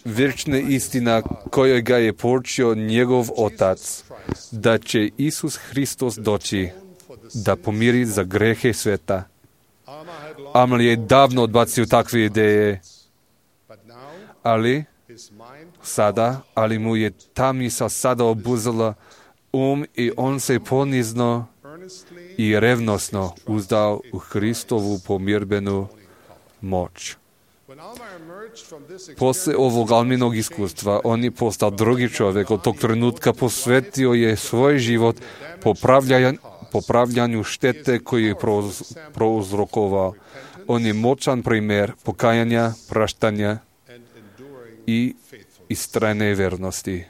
Vječna istina koju ga je poučio njegov otac, da će Isus Hristos doći da pomiri za grehe sveta. Alma je davno odbacio takve ideje, ali mu je ta misao sada obuzela i on se ponizno i revnosno uzdao u Hristovu pomirbenu moć. Poslije ovog Alminog iskustva, on je postao drugi čovjek. Od tog trenutka posvetio je svoj život popravljanju štete koju je prouzrokovao. On je moćan primjer pokajanja, praštanja i istrajne vernosti.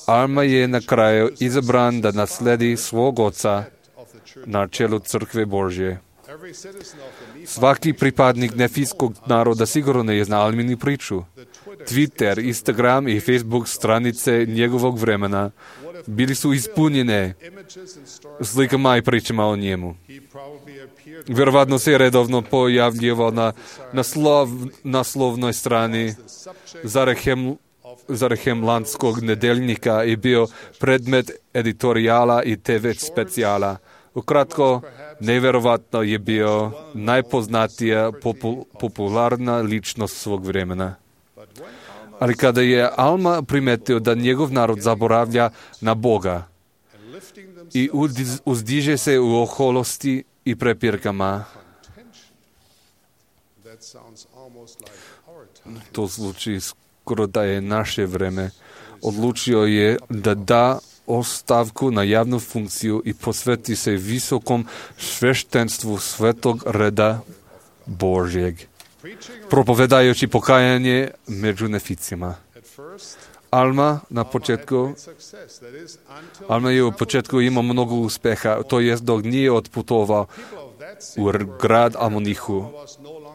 Alma je na kraju izabran da nasledi svog oca na čelu crkve Božje. Svaki pripadnik nefijskog naroda sigurno ne zna Alminu priču. Twitter, Instagram i Facebook stranice njegovog vremena bili su ispunjene slikama i pričama o njemu. Vjerovatno se je redovno pojavljivao na naslovnoj strani Zarehemlandskog nedeljnika i bio predmet editorijala i TV specijala. Ukratko, nevjerovatno je bio najpoznatija popularna ličnost svog vremena. Ali kada je Alma primetio da njegov narod zaboravlja na Boga i uzdiže se u oholosti i prepirkama, to zvuči skoro da je naše vreme, odlučio je da da ostavku na javnu funkciju i posveti se visokom sveštenstvu svetog reda Božjeg, propovedajući pokajanje među neficima. Alma je u početku imao mnogo uspeha, to jest dok nije otputovao u grad Amonihu.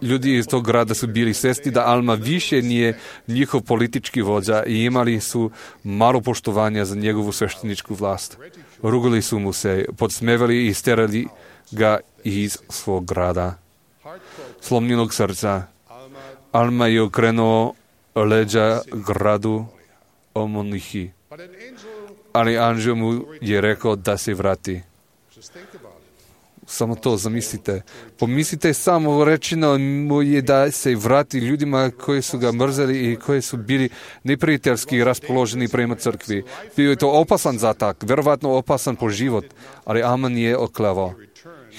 Ljudi iz tog grada su bili svjesni da Alma više nije njihov politički vođa i imali su malo poštovanja za njegovu svešteničku vlast. Rugali su mu se, podsmevali i sterali ga iz svog grada. Slomljenog srca, Alma je okrenuo leđa gradu Amonihi, ali anđel mu je rekao da se vrati. Samo to zamislite. Pomislite samo, rečeno mu je da se vrati ljudima koji su ga mrzeli i koji su bili neprijateljski raspoloženi prema crkvi. Bio je to opasan zatak, vjerovatno opasan po život, ali Alma nije oklevao.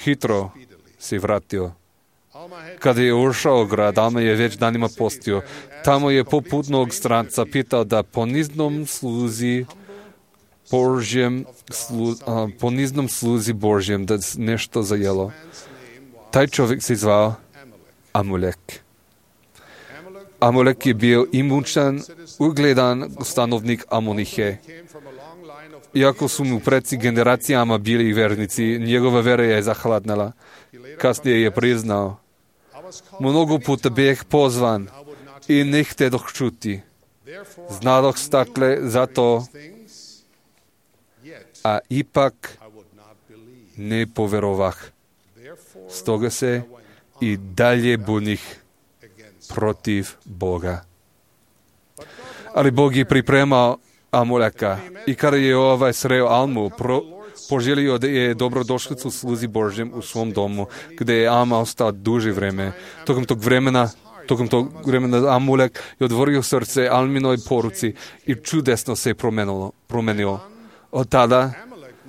Hitro se vratio. Kada je ušao u grad, Alma je već danima postio. Tamo je poputnog stranca pitao da poniznom sluzi Božjem da nešto zajelo. Taj čovjek se zvao Amulek. Amulek je bio imućan, ugledan stanovnik Amonihe. Iako su mu preci generacijama bili vernici, njegova vera je zahladnala. Kasnije je priznao: mnogo puta bih pozvan i ne htedoh čuti. Znadoh stakle za to, a ipak ne poverovah. Stoga se i dalje bunih protiv Boga. Ali Bog je pripremao Amuleka. I kada je sreo Almu, poželio da je dobrodošlicu sluzi Božjem u svom domu, gde je Alma ostao duže vreme. Tokom tog vremena Amulek je otvorio srce Alminoj poruci i čudesno se promenio. Od tada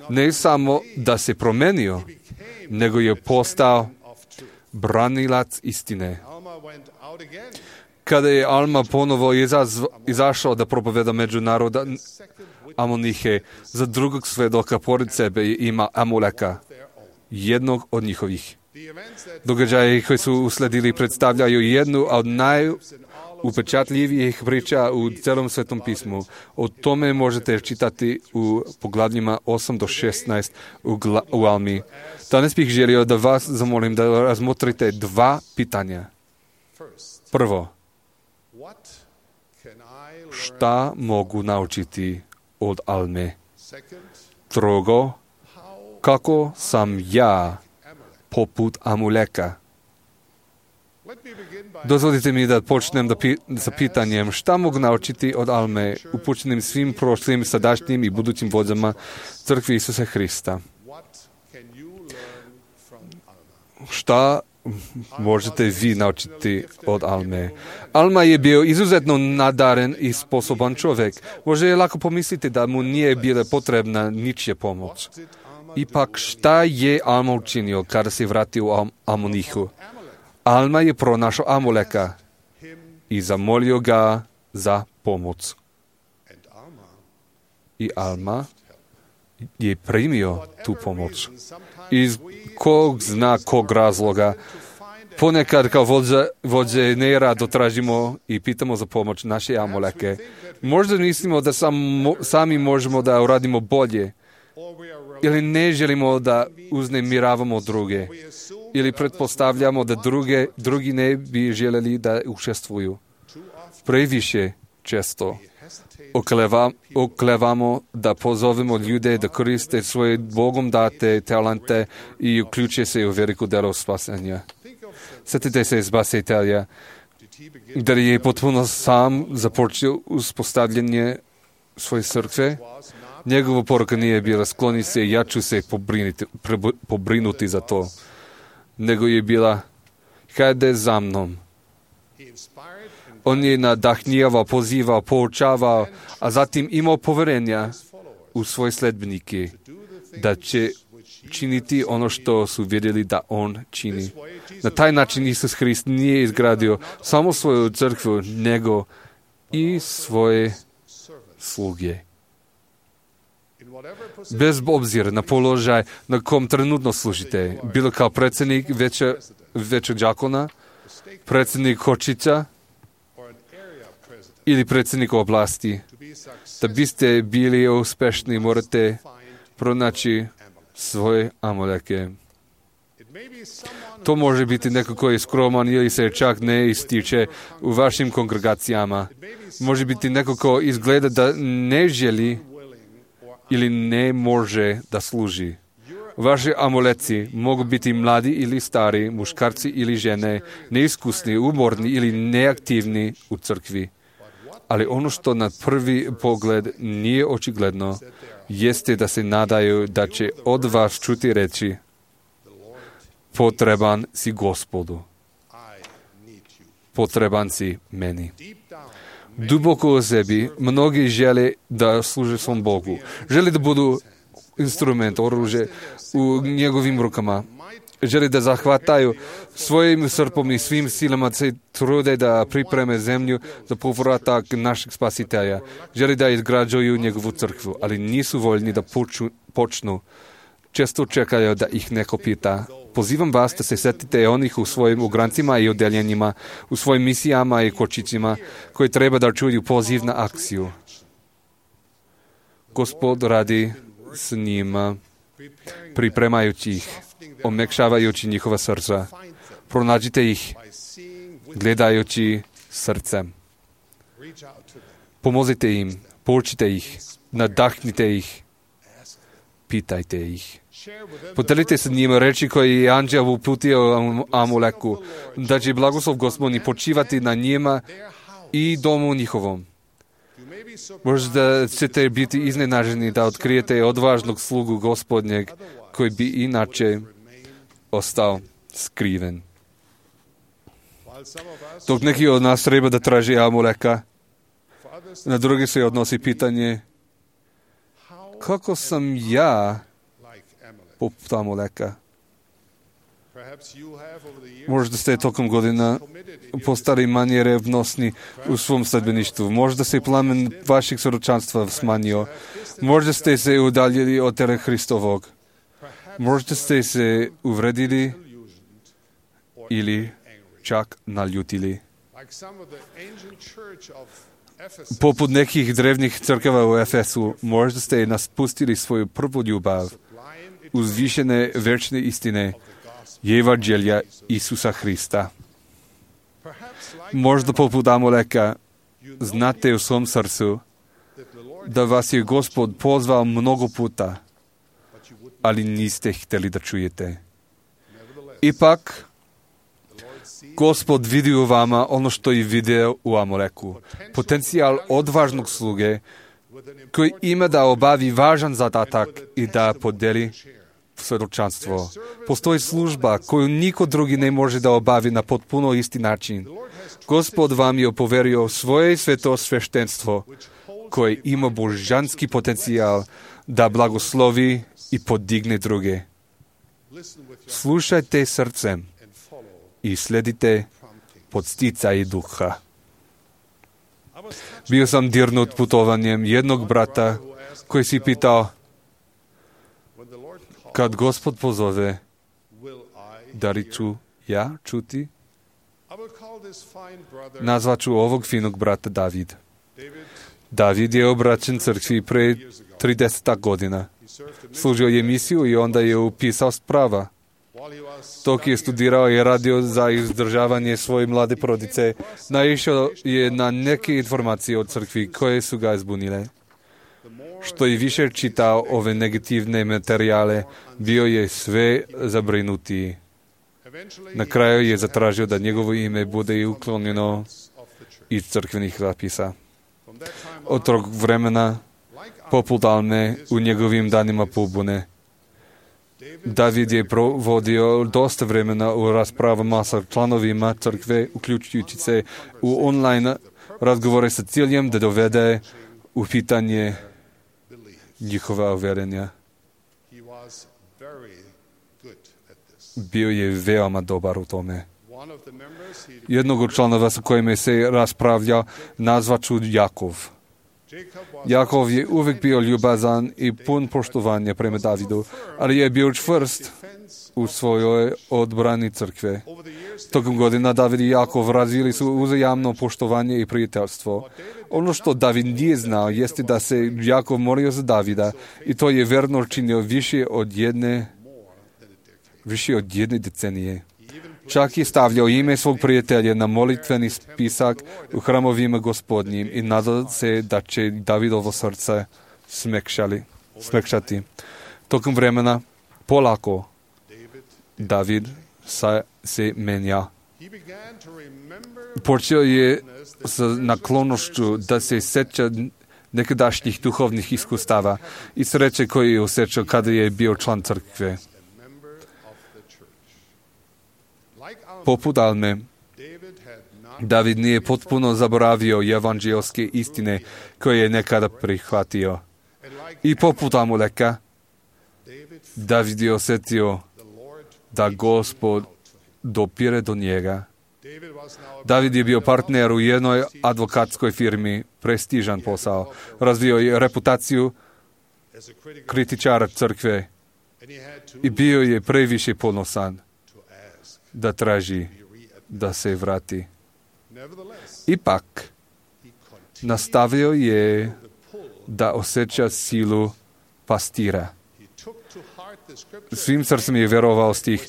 ne samo da se promenio, nego je postao branilac istine. Kada je Alma ponovo izašao da propoveda među naroda Amonihe, za drugog svedoka pored sebe ima Amuleka, jednog od njihovih. Događaje koji su usledili predstavljaju jednu od najupečatljivijih priča u celom Svetom pismu. O tome možete čitati u poglavljima 8 do 16 u Almi. Danas bih želio da vas zamolim da razmotrite dva pitanja. Prvo, šta mogu naučiti od Alme? Drugo, kako sam ja poput Amuleka? Dozvolite mi da počnem sa pitanjem šta mogu naučiti od Alme, upućenim svim prošlim, sadašnjim i budućim vođama Crkve Isusa Hrista. Šta možete vi naučiti od Alme? Alma je bio izuzetno nadaren i sposoban čovjek. Može je lako pomisliti da mu nije bila potrebna ničija pomoć. Ipak šta je Alma učinio kada se vratio u Amonihu? Alma je pronašao Amuleka i zamolio ga za pomoć. I Alma je primio tu pomoć. Iz kog razloga. Ponekad kao vođe nerado tražimo i pitamo za pomoć naše Amuleke. Možda mislimo da sami možemo da uradimo bolje. Ili ne želimo da uznemiravamo druge. Ili pretpostavljamo da drugi ne bi željeli da učestvuju. Previše često oklevamo da pozovemo ljude da koriste svoje Bogom date talente i uključe se u veliko delo spasenja. Sjetite se Spasitelja, da je potpuno sam započeo uspostavljanje svoje crkve. Njegova poruka nije bila skloni se, ja ću se pobrinuti za to, nego je bila hajde za mnom. On je nadahnjivao, pozivao, poučavao, a zatim imao poverenja u svoje sledbenike da će činiti ono što su vidjeli da on čini. Na taj način Isus Hrist nije izgradio samo svoju crkvu, nego i svoje sluge. Bez obzira na položaj na kom trenutno služite, bilo kao predsjednik većeg đakona, predsjednik Hočića ili predsjednik oblasti, da biste bili uspešni, morate pronaći svoje Amuleke. To može biti neko koji je skroman ili se čak ne ističe u vašim kongregacijama. Može biti neko ko izgleda da ne želi ili ne može da služi. Vaši Amuleci mogu biti mladi ili stari, muškarci ili žene, neiskusni, umorni ili neaktivni u crkvi. Ali ono što na prvi pogled nije očigledno, jeste da se nadaju da će od vas čuti reći: potreban si Gospodu. Potreban si meni. Duboko u sebi mnogi žele da služe svom Bogu. Žele da budu instrument, oružje u njegovim rukama. Žele da zahvataju svojim srpom i svim silama se trude da pripreme zemlju za povratak našeg Spasitelja. Žele da izgrađuju njegovu crkvu, ali nisu voljni da počnu. Često čekaju da ih neko pita. Pozivam vas da se setite onih u svojim ograncima i odeljenjima, u svojim misijama i kočićima, koji treba da čuju poziv na akciju. Gospod radi s njima, pripremajući ih, omekšavajući njihova srca. Pronađite ih, gledajući srcem. Pomozite im, poučite ih, nadahnite ih, pitajte ih. Podelite se njima reči koje je anđel uputio Amuleku, da će blagoslov Gospodnji počivati na njima i domu njihovom. Možda ćete biti iznenaženi da otkrijete odvažnog slugu Gospodnjeg koji bi inače ostao skriven. Dok neki od nas treba da traži Amuleka, na drugi se odnosi pitanje kako sam ja poput Amuleka. Možda ste tokom godina postali manje revnosni u svom sledbeništvu. Možda se plamen vaših svjedočanstva smanjio. Možda ste se udaljili od tela Hristovog. Možda ste se uvredili ili čak naljutili. Poput nekih drevnih crkava u Efesu, možda ste naspustili svoju prvu ljubav, uzvišene večne istine, evanđelja Isusa Hrista. Možda poput Amuleka znate u svom srcu da vas je Gospod pozvao mnogo puta, ali niste htjeli da čujete. Ipak, Gospod vidi u vama ono što je video u Amuleku. Potencijal odvažnog sluge koji ima da obavi važan zadatak i da podeli svjedočanstvo. Postoji služba koju niko drugi ne može da obavi na potpuno isti način. Gospod vam je poverio svoje sveto sveštenstvo koje ima božanski potencijal da blagoslovi i podigne druge. Slušajte srcem i sledite podsticaj duha. Bio sam dirnut putovanjem jednog brata koji si pitao, kad Gospod pozove, da li ću ja čuti? Nazvat ću ovog finog brata David. David je obraćen crkvi pre 30 godina. Služio je misiju i onda je upisao sprava. Dok je studirao i radio za izdržavanje svoje mlade porodice, naišao je na neke informacije od crkvi koje su ga zbunile. Što je više čitao ove negativne materijale, bio je sve zabrinutiji. Na kraju je zatražio da njegovo ime bude uklonjeno iz crkvenih zapisa. Od tog vremena, poput Alme, u njegovim danima pobune, David je provodio dosta vremena u raspravama sa članovima crkve, uključujući se u online razgovore sa ciljem da dovede u pitanje njihova uvjerenja. Bio je veoma dobar u tome. Jednog od članova sa kojima se raspravlja nazvat ću Jakov. Jakov je uvijek bio ljubazan i pun poštovanja prema Davidu, ali je bio čvrst u svojoj odbrani crkve. Tokom godina David i Jakov razvili su uzajamno poštovanje i prijateljstvo. Ono što David nije znao jeste da se Jakov molio za Davida i to je verno činio više od jedne decenije. Čak je stavljao ime svog prijatelja na molitveni spisak u hramovima Gospodnjim i nadao se da će Davidovo srce smekšati. Tokom vremena, polako, David se menja. Počeo je sa naklonošću da se sjeća nekadašnjih duhovnih iskustava i sreće koje je osjećao kada je bio član crkve. Poput Alme, David nije potpuno zaboravio evanđelske istine koje je nekada prihvatio. I poput Amuleka, David je osjetio da Gospod dopire do njega. David je bio partner u jednoj advokatskoj firmi, prestižan posao. Razvio je reputaciju kritičara crkve i bio je previše ponosan da traži da se vrati. Ipak, nastavio je da osjeća silu pastira. Svim srcem je vjerovao stih: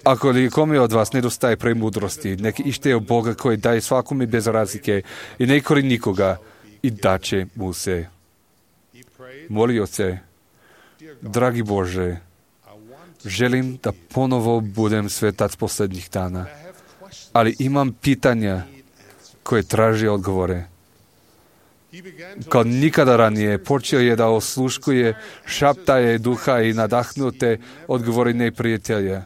ako li kome od vas nedostaje premudrosti, nek ište od Boga koji daje svakome bez razlike i ne kori nikoga i daće mu se. Molio se: dragi Bože, želim da ponovo budem svetac posljednjih dana, ali imam pitanja koje traže odgovore. Kao nikada ranije počeo je da osluškuje šaptaje duha i nadahnute odgovori neprijatelja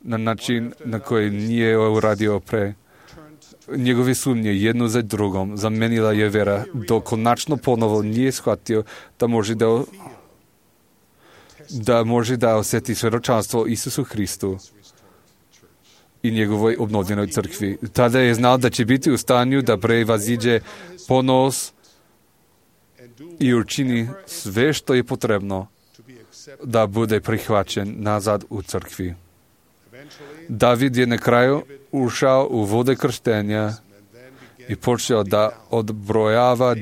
na način na koji nije uradio pre. Njegove sumnje jedno za drugom zamenila je vera, dok konačno ponovo nije shvatio da može da osjeti svedočanstvo Isusu Hristu i njegovoj obnovljenoj crkvi. Tada je znao da će biti u stanju da prevaziđe ponos i učini sve što je potrebno da bude prihvaćen nazad u crkvi. David je na kraju ušao u vode krštenja i počeo da odbrojava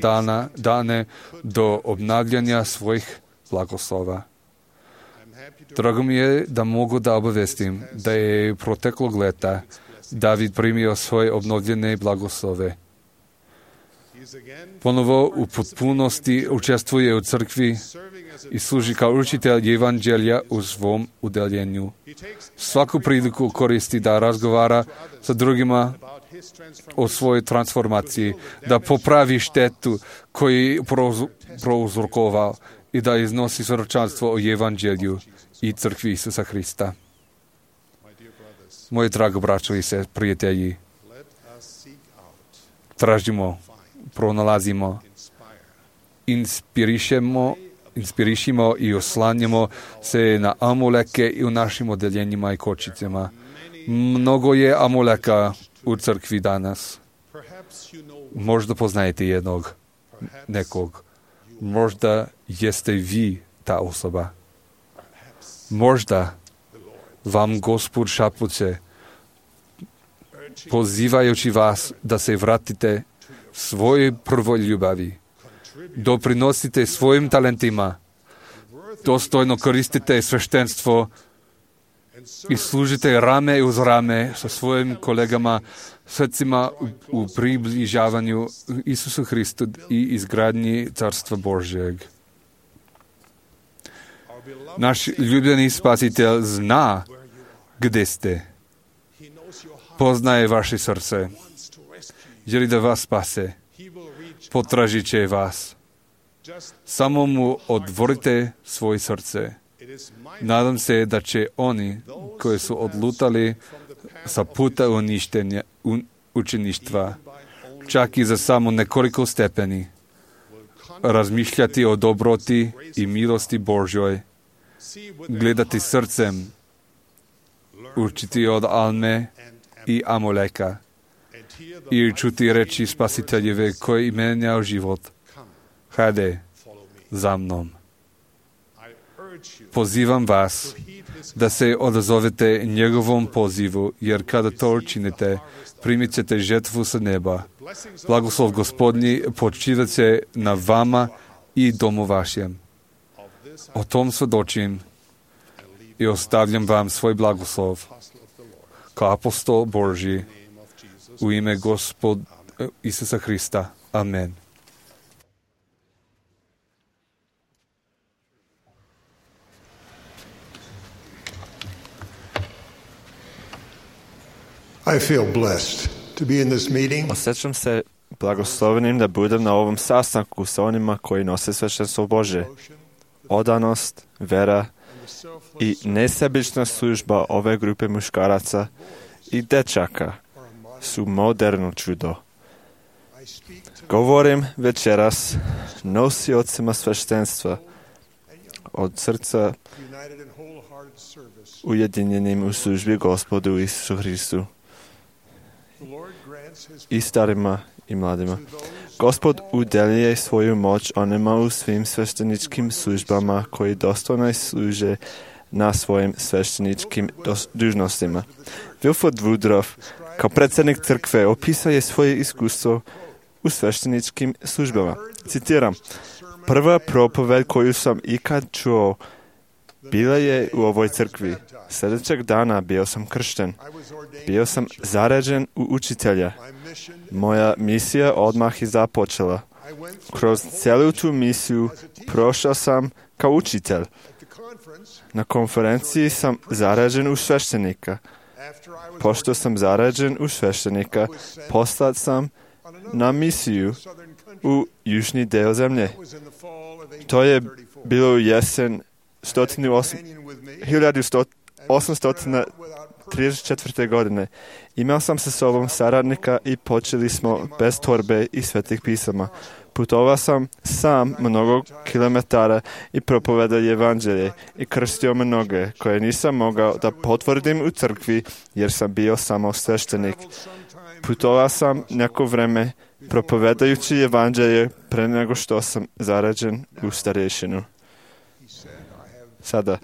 dane do obnavljanja svojih blagoslova. Drago mi je da mogu da obavestim da je proteklog leta David primio svoje obnovljene blagoslove. Ponovo u potpunosti učestvuje u crkvi i služi kao učitelj evanđelja u svom udeljenju. Svaku priliku koristi da razgovara sa drugima o svojoj transformaciji, da popravi štetu koju je prouzrokovao i da iznosi svjedočanstvo o evanđelju i crkvi Isusa Hrista. Moji drago braćo i prijatelji, tražimo, pronalazimo, inspirišimo i oslanjamo se na amuleke i u našim odeljenjima i kočicama. Mnogo je amuleka u crkvi danas. Možda poznajete nekog. Možda jeste vi ta osoba. Možda vam Gospod šapuće, pozivajući vas da se vratite svojoj prvoj ljubavi. Doprinosite svojim talentima, dostojno koristite sveštenstvo i služite rame uz rame sa svojim kolegama, srcima u približavanju Isusu Hristu i izgradnji Carstva Božjeg. Naš ljubljeni Spasitelj zna gdje ste. Poznaje vaše srce. Želi da vas spase. Potražit će vas. Samo mu otvorite svoje srce. Nadam se da će oni koji su odlutali sa puta učeništva, čak i za samo nekoliko stepeni, razmišljati o dobroti i milosti Božjoj, gledati srcem, učiti od Alme i Amoleka i čuti reči Spasiteljeve koji menjao život. Hajde za mnom. Pozivam vas da se odazovete njegovom pozivu, jer kada to učinite, primit ćete žetvu sa neba. Blagoslov Gospodnji počivat će na vama i domu vašem. O tom svjedočim i ostavljam vam svoj blagoslov kao apostol Božji u ime Gospod Isusa Hrista. Amen. I feel blessed to be in this meeting. Osjećam se blagoslovenim da budem na ovom sastanku sa onima koji nose sveštenstvo Božje. Odanost, vera i nesebična služba ove grupe muškaraca i dečaka su moderno čudo. Govorim večeras nosiocima sveštenstva od srca ujedinjenim u službi Gospodu Isusu Hristu i starima i mladima. Gospod udeljuje svoju moć onima u svim svešteničkim službama koji dostojno služe na svojim svešteničkim dužnostima. Wilford Woodruff kao predsjednik crkve opisuje svoje iskustvo u svešteničkim službama. Citiram: prva propoved koju sam ikad čuo bila je u ovoj crkvi. Sljedećeg dana bio sam kršten. Bio sam zaređen u učitelja. Moja misija odmah je započela. Kroz cijelu tu misiju prošao sam kao učitelj. Na konferenciji sam zaređen u sveštenika. Pošto sam zaređen u sveštenika, poslat sam na misiju u južni deo zemlje. To je bilo u jesen 1834. godine. Imao sam sa sobom saradnika i počeli smo bez torbe i svetih pisama. Putovao sam sam mnogo kilometara i propovedao evanđelje i krstio mnoge koje nisam mogao da potvrdim u crkvi jer sam bio samo sveštenik. Putovao sam neko vreme propovedajući evanđelje pre nego što sam zarađen u starješinu. Sada,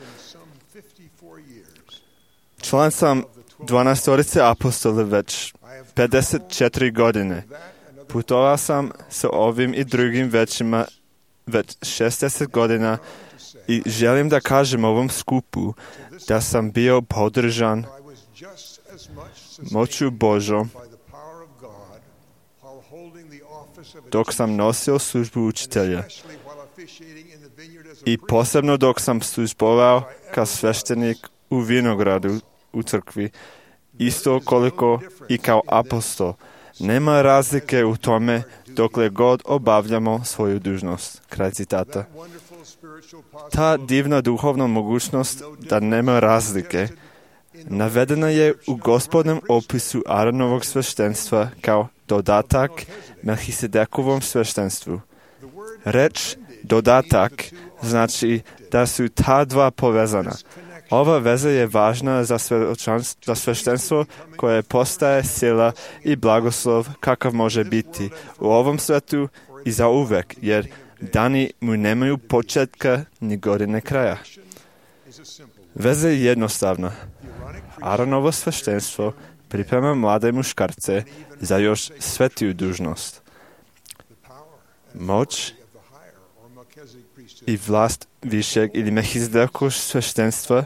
član sam 12 apostola već 54 godine. Putovao sam sa ovim i drugim većima već 60 godina i želim da kažem ovom skupu da sam bio podržan moću Božom dok sam nosio službu učitelja i posebno dok sam službovao kao sveštenik u vinogradu u crkvi, isto koliko i kao apostol. Nema razlike u tome dokle god obavljamo svoju dužnost. Kraj citata. Ta divna duhovna mogućnost da nema razlike navedena je u Gospodnom opisu Aaronovog sveštenstva kao dodatak Melhisedekovom sveštenstvu. Reč dodatak znači da su ta dva povezana. Ova veza je važna za sveštenstvo koje postaje sila i blagoslov kakav može biti u ovom svetu i za uvek, jer dani mu nemaju početka ni godine kraja. Veza je jednostavna. Aaronovo sveštenstvo priprema mlade muškarce za još svetiju dužnost. Moć i vlast višeg ili Melhisedekovog sveštenstva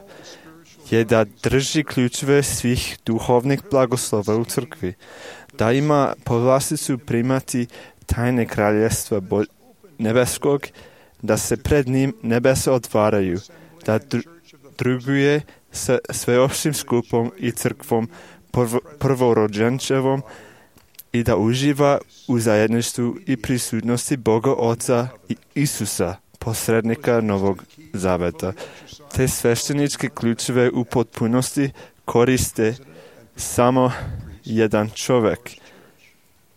je da drži ključeve svih duhovnih blagoslova u crkvi, da ima povlasticu primati tajne kraljevstva nebeskog, da se pred njim nebesa otvaraju, da druguje sa sveopštim skupom i crkvom prvorođenčevom i da uživa u zajedništvu i prisutnosti Boga Oca i Isusa, posrednika Novog Zaveta. Te svešteničke ključeve u potpunosti koriste samo jedan čovjek,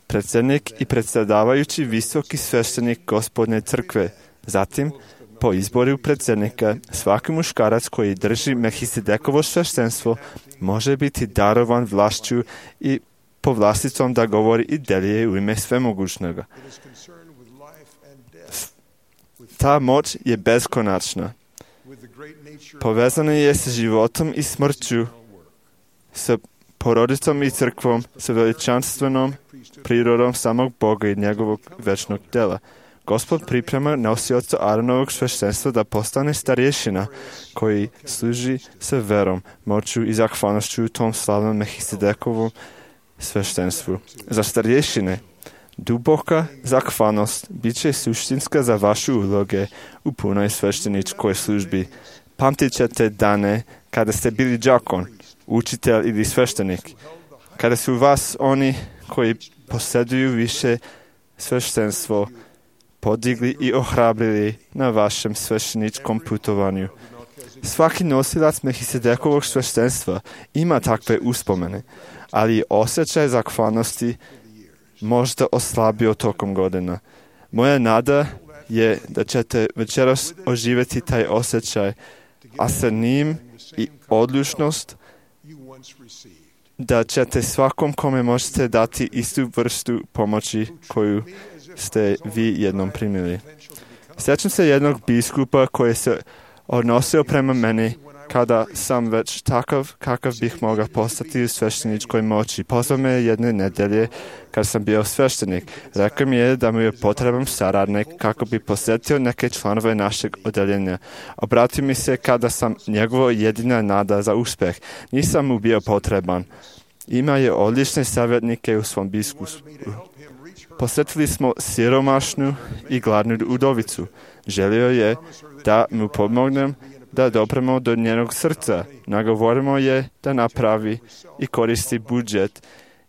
predsjednik i predsjedavajući visoki sveštenik Gospodne crkve. Zatim, po izboru predsjednika, svaki muškarac koji drži Melhisedekovo sveštenstvo može biti darovan vlašću i povlasticom da govori i delije u ime svemogućnoga. Ta moć je beskonačna. Povezana je s životom i smrću, sa porodicom i crkvom, sa veličanstvenom prirodom samog Boga i njegovog večnog dela. Gospod priprema nosioca Aaronovog sveštenstva da postane starješina koji služi sa verom, moću i zahvalnošću u tom slavnom Melhisedekovom sveštenstvu. Za starješine duboka zahvalnost bit će suštinska za vaše uloge u punoj svešteničkoj službi. Pamtit ćete dane kada ste bili đakon, učitelj ili sveštenik, kada su vas oni koji posjeduju više sveštenstvo podigli i ohrabrili na vašem svešteničkom putovanju. Svaki nosilac Melhisedekovog sveštenstva ima takve uspomene, ali osjećaj zahvalnosti možda oslabio tokom godina. Moja nada je da ćete večeras oživjeti taj osjećaj, a sa njim i odlučnost da ćete svakom kome možete dati istu vrstu pomoći koju ste vi jednom primili. Sjećam se jednog biskupa koji se odnosio prema meni kada sam već takav kakav bih mogao postati u svešteničkoj moći. Pozvao me jedne nedelje kad sam bio sveštenik. Rekao mi je da mu je potreban saradnik kako bi posjetio neke članove našeg odeljenja. Obratio mi se kada sam njegova jedina nada za uspjeh. Nisam mu bio potreban. Ima je odlične savjetnike u svom biskupstvu. Posjetili smo siromašnu i gladnu udovicu. Želio je da mu pomognem da dopremo do njenog srca. Nagovorimo je da napravi i koristi budžet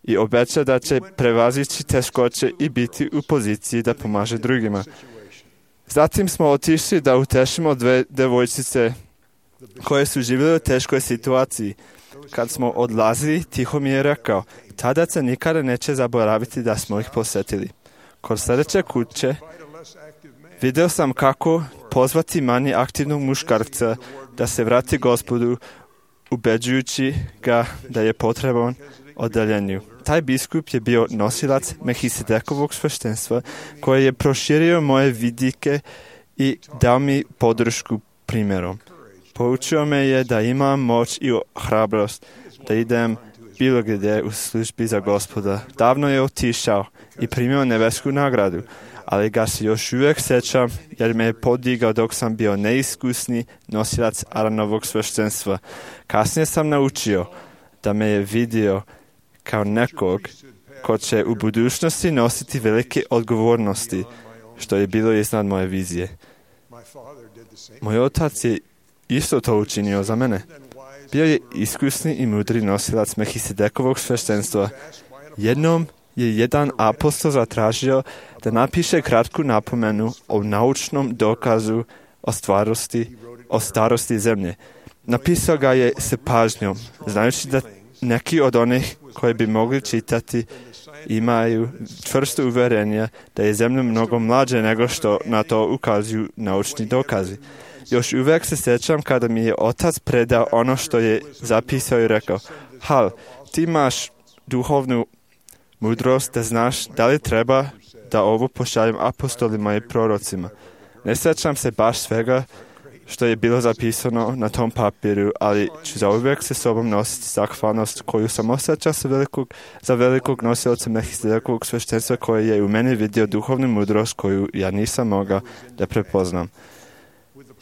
i obeća da će prevazići teškoće i biti u poziciji da pomaže drugima. Zatim smo otišli da utešimo dve devojčice koje su živjele u teškoj situaciji. Kad smo odlazili, Tiho mi je rekao, tada se nikada neće zaboraviti da smo ih posjetili. Kod sljedeće kuće vidio sam kako pozvati manje aktivnog muškarca da se vrati Gospodu, ubeđujući ga da je potreban odeljenju. Taj biskup je bio nosilac Melhisedekovog sveštenstva koji je proširio moje vidike i dao mi podršku primjerom. Poučio me je da imam moć i hrabrost da idem bilo gdje u službi za Gospoda. Davno je otišao i primio nebesku nagradu, ali ga se još uvijek sjećam jer me je podigao dok sam bio neiskusni nosilac Aaronovog sveštenstva. Kasnije sam naučio da me je vidio kao nekog ko će u budućnosti nositi velike odgovornosti, što je bilo iznad moje vizije. Moj otac je isto to učinio za mene. Bio je iskusni i mudri nosilac Melhisedekovog sveštenstva. Jednom je jedan apostol zatražio da napiše kratku napomenu o naučnom dokazu o starosti zemlje. Napisao ga je s pažnjom, znajući da neki od onih koji bi mogli čitati imaju čvrsto uvjerenje da je zemlja mnogo mlađe nego što na to ukazuju naučni dokazi. Još uvijek se sjećam kada mi je otac predao ono što je zapisao i rekao, Hal, ti imaš duhovnu mudrost da znaš da li treba da ovo pošaljem apostolima i prorocima. Ne sjećam se baš svega što je bilo zapisano na tom papiru, ali ću zauvijek se sobom nositi zahvalnost koju sam osjećao za velikog nosioca Melhisedekovog sveštenstva koji je u meni vidio duhovnu mudrost koju ja nisam mogao da prepoznam.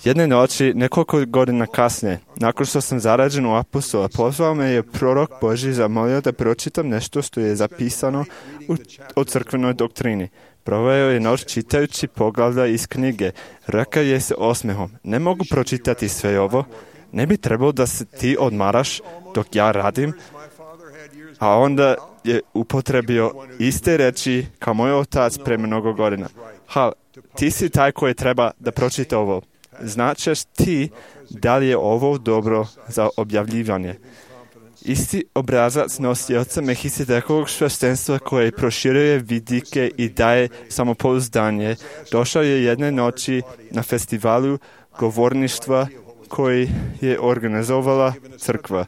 Jedne noći, nekoliko godina kasnije, nakon što sam zarađen u apostola, pozvao me je prorok Božji zamolio da pročitam nešto što je zapisano o crkvenoj doktrini. Proveo je noć čitajući poglavlja iz knjige. Rekao je se osmehom, ne mogu pročitati sve ovo, ne bi trebalo da se ti odmaraš dok ja radim. A onda je upotrebio iste reči kao moj otac pre mnogo godina. Hal, ti si taj koji treba da pročita ovo. Značeš ti da li je ovo dobro za objavljivanje. Isti obrazac nosioca Melhisedekovog sveštenstva koji proširuje vidike i daje samopouzdanje, došao je jedne noći na festivalu govorništva koji je organizovala crkva.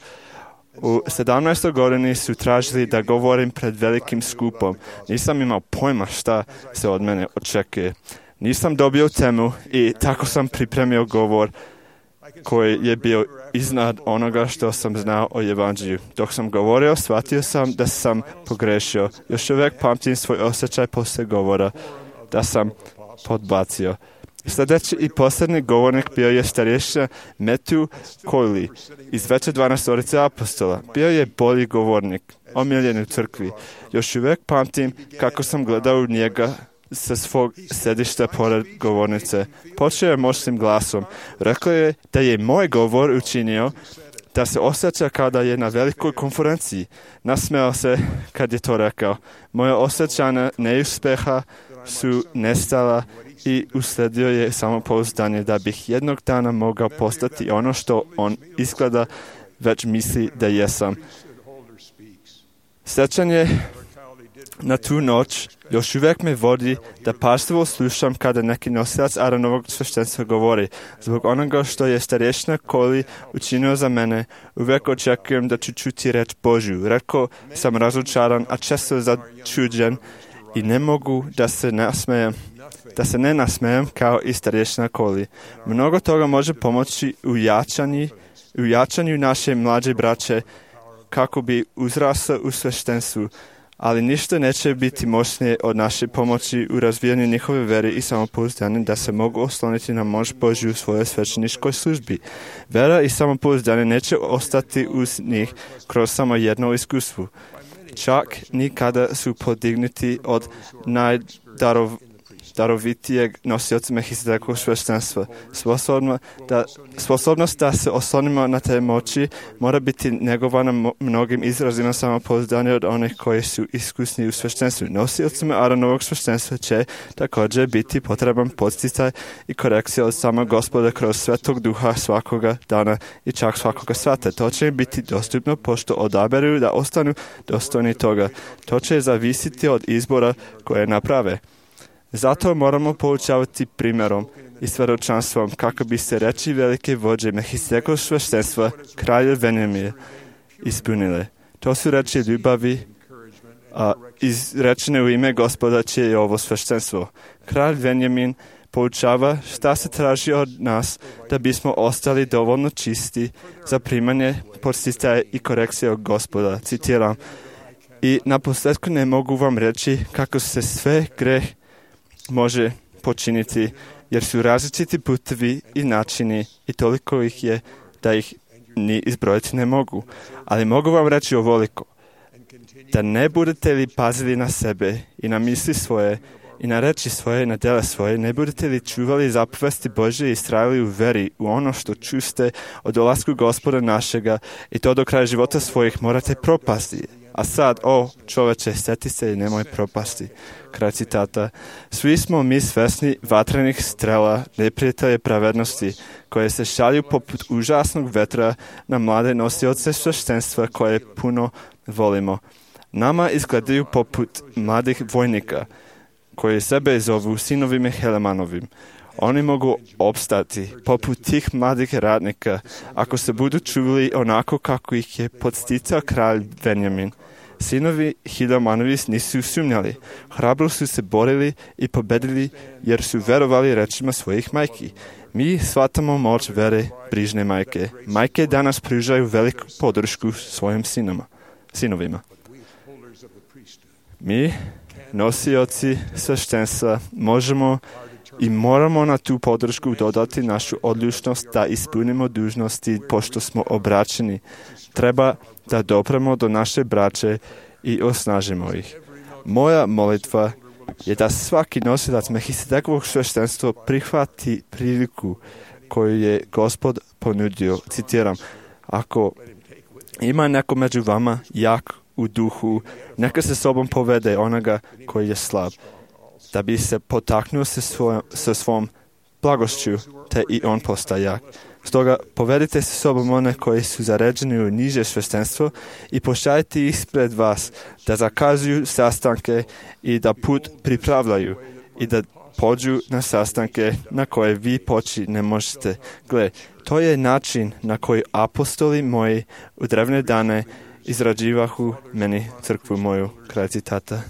U 17. godini su tražili da govorim pred velikim skupom. Nisam imao pojma šta se od mene očekuje. Nisam dobio temu i tako sam pripremio govor koji je bio iznad onoga što sam znao o evanđelju. Dok sam govorio, shvatio sam da sam pogrešio. Još uvijek pamtim svoj osjećaj poslije govora da sam podbacio. Sljedeći i posljednji govornik bio je starješina Matthew Coyley iz veće 12 apostola. Bio je bolji govornik, omiljen u crkvi. Još uvijek pamtim kako sam gledao u njega sa svog sedišta pored govornice. Počeo je moćnim glasom. Rekao je da je moj govor učinio da se osjeća kao da je na velikoj konferenciji. Nasmejao se kad je to rekao. Moje osjećanja neuspeha su nestala i usledio je samopouzdanje da bih jednog dana mogao postati ono što on izgleda već misli da jesam. Sjećanje na tu noć još uvijek me vodi da pažljivo slušam kada neki nosilac Aaronovog sveštenstva govori. Zbog onoga što je starješina Coyley učinio za mene, uvijek očekujem da ću čuti reč Božju. Rekao sam razočaran, a često začuđen i ne mogu da se ne nasmejem kao i starješina Coyley. Mnogo toga može pomoći u jačanju naše mlađe braće kako bi uzrasla u sveštenstvu, ali ništa neće biti moćnije od naše pomoći u razvijanju njihove vere i samopouzdanja da se mogu osloniti na moć Božju u svojoj svećeničkoj službi. Vera i samopouzdanje neće ostati uz njih kroz samo jedno iskustvo. Čak ni kada su podignuti od najdarovitijeg nosioca Melchizedekovog sveštenstva. Sposobnost da se oslonimo na te moći mora biti negovana mnogim izrazima samopouzdanja od onih koji su iskusni u sveštenstvu. Nosiocima Aaronovog sveštenstva će također biti potreban podsticaj i korekcija od samog Gospoda kroz Svetog Duha svakoga dana i čak svakoga sata. To će im biti dostupno pošto odaberu da ostanu dostojni toga. To će zavisiti od izbora koje naprave. Zato moramo poučavati primjerom i svjedočanstvom kako bi se reči velike vođe Melchizedekovog sveštenstva, kralja Benjamina, ispunile. To su reči ljubavi, izrečene u ime Gospoda čije je ovo sveštenstvo. Kralj Benjamin poučava šta se traži od nas da bismo ostali dovoljno čisti za primanje podsticaja i korekcije od Gospoda. Citiram: i naposljetku ne mogu vam reći kako se sve greh može počiniti, jer su različiti putevi i načini i toliko ih je da ih ni izbrojiti ne mogu. Ali mogu vam reći ovoliko: da ne budete li pazili na sebe i na misli svoje i na reči svoje i na djela svoje, ne budete li čuvali zapovesti Božje i istrajali u veri u ono što čuste o dolasku Gospoda našega i to do kraja života svojih, morate propasti. A sad, o čoveče, sjeti se i nemoj propasti. Kraj citata. Svi smo mi svesni vatrenih strela neprijatelje pravednosti koje se šalju poput užasnog vetra na mlade nosioce sveštenstva koje puno volimo. Nama izgledaju poput mladih vojnika koji sebe zovu sinovima Helemanovim. Oni mogu opstati poput tih mladih radnika ako se budu čuvali onako kako ih je podsticao kralj Benjamin. Sinovi Hilemanovi nisu sumnjali, hrabro su se borili i pobedili jer su verovali rečima svojih majki. Mi shvatamo moć vere brižne majke. Majke danas pružaju veliku podršku svojim sinovima. Mi, nosioci sveštenstva, možemo i moramo na tu podršku dodati našu odlučnost da ispunimo dužnosti pošto smo obraćeni. Treba da dopremo do naše braće i osnažimo ih. Moja molitva je da svaki nosilac Melchizedekovog sveštenstva prihvati priliku koju je Gospod ponudio. Citiram: ako ima neko među vama jak u duhu, neka se sobom povede onoga koji je slab, da bi se potaknuo sa svom blagošću, te i on postaje jak. Stoga povedite se sobom one koji su zaređeni u niže sveštenstvo i pošaljite ih ispred vas da zakazuju sastanke i da put pripravljaju i da pođu na sastanke na koje vi poći ne možete. Gle, to je način na koji apostoli moji u drevne dane izrađivahu meni crkvu moju. Kraj citata.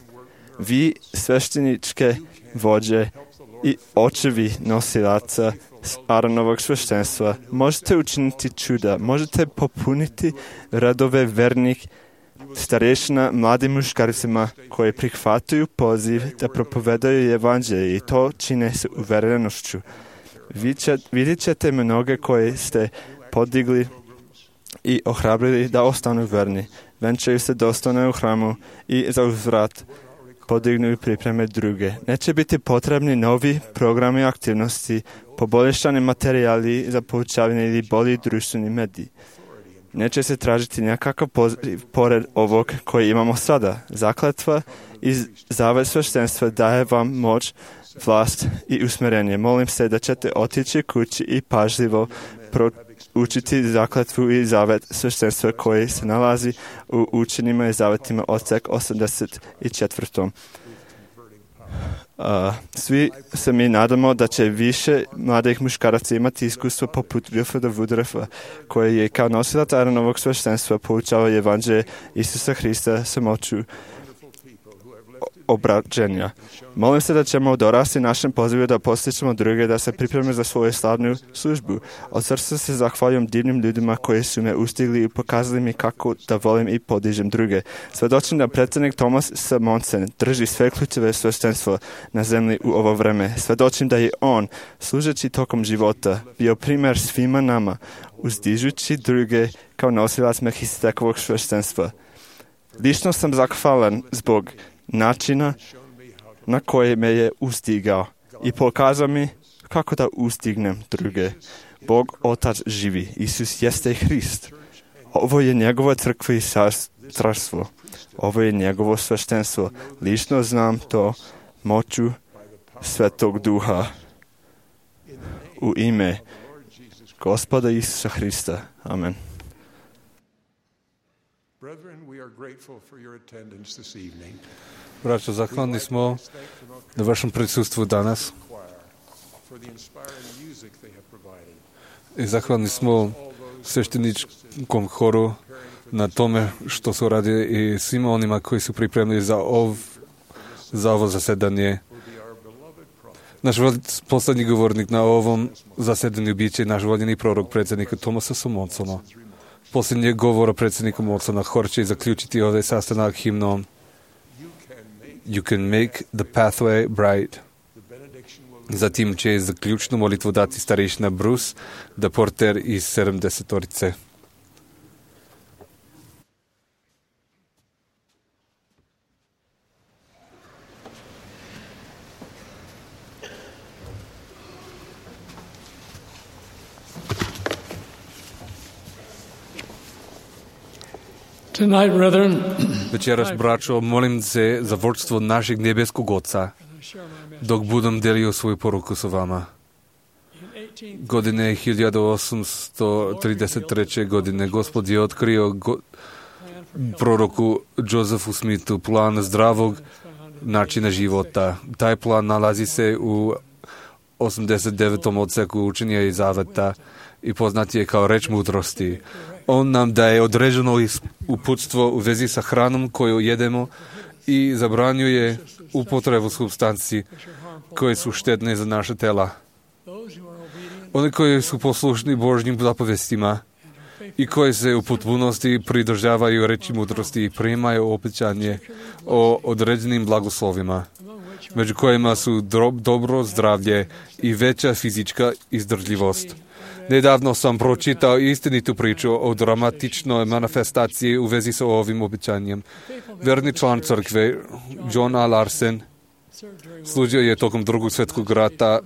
Vi, svešteničke vođe i očevi nosilaca Aaronovog sveštenstva, možete učiniti čuda, možete popuniti radove vernih starješina mladim muškarcima koji prihvataju poziv da propovedaju evanđelje i to čine s uverenošću. Vidjet ćete mnoge koje ste podigli i ohrabrili da ostanu verni. Venčaju se dostojno u hramu i za uzvrat podignu i pripreme druge. Neće biti potrebni novi programi aktivnosti, poboljšani materijali za poučavanje ili bolji društveni mediji. Neće se tražiti nekakav poziv pored ovog koji imamo sada. Zakletva i zavet sveštenstva daje vam moć, vlast i usmjerenje. Molim se da ćete otići kući i pažljivo učiti zakletvu i zavet sveštenstva koji se nalazi u učenjima i zavetima odsek 84. Svi se mi nadamo da će više mladih muškaraca imati iskustvo poput Wilfreda Woodruffa, koji je kao nosilac Aaronovog sveštenstva poučavao evanđelje Isusa Hrista sa moću obraćenja. Molim se da ćemo dorasti našem pozivu da postičemo druge da se pripreme za svoju slavnu službu. Od srca se zahvaljujem divnim ljudima koji su me ustigli i pokazali mi kako da volim i podižem druge. Svedočim da predsjednik Thomas S. Monson drži sve ključeve sveštenstva na zemlji u ovo vreme. Svedočim da je on, služeći tokom života, bio primjer svima nama, uzdižući druge kao nosilac Melchizedekovog sveštenstva. Lično sam zahvalan zbog načina na koje me je ustigao i pokazao mi kako da ustignem druge. Bog Otac živi, Isus jeste Hrist. Ovo je njegova crkva i carstvo. Ovo je njegovo sveštenstvo. Lično znam to moću Svetog Duha. U ime Gospoda Isusa Hrista. Amen. Braćo, zahvalni smo na vašem prisustvu danas. I zahvalni smo svešteničkom horu na tome što su radili i svima onima koji su pripremili za ovo zasedanje. Naš poslednji govornik na ovom zasedanju biće naš voljeni prorok predsjednika Thomasa Mondsona. Posljednjeg govora predsjednika Mondsona hor će zaključiti ovaj sastanak himnom You can make the pathway bright. Zatim će zaključnu molitvu dati starešina Bruce, da porter iz 70-orice. Tonight, brethren, Večeras, braćo, molim se za vodstvo našeg nebeskog Oca, dok budem delio svoju poruku sa vama. Godine 1833. godine Gospod je otkrio proroku Josephu Smithu plan zdravog načina života. Taj plan nalazi se u 89. odseku učenja i zaveta i poznat je kao reč mudrosti. On nam daje određeno uputstvo u vezi sa hranom koju jedemo i zabranjuje upotrebu supstanci koje su štetne za naše tela. Oni koji su poslušni Božjim zapovestima i koji se u potpunosti pridržavaju reči mudrosti i primaju obećanje o određenim blagoslovima, među kojima su dobro zdravlje i veća fizička izdržljivost. Nedavno sam pročitao istinitu priču o dramatičnoj manifestaciji u vezi sa ovim obećanjem. Verni član crkve, John A. Larsen, služio je tokom Drugog svjetskog rata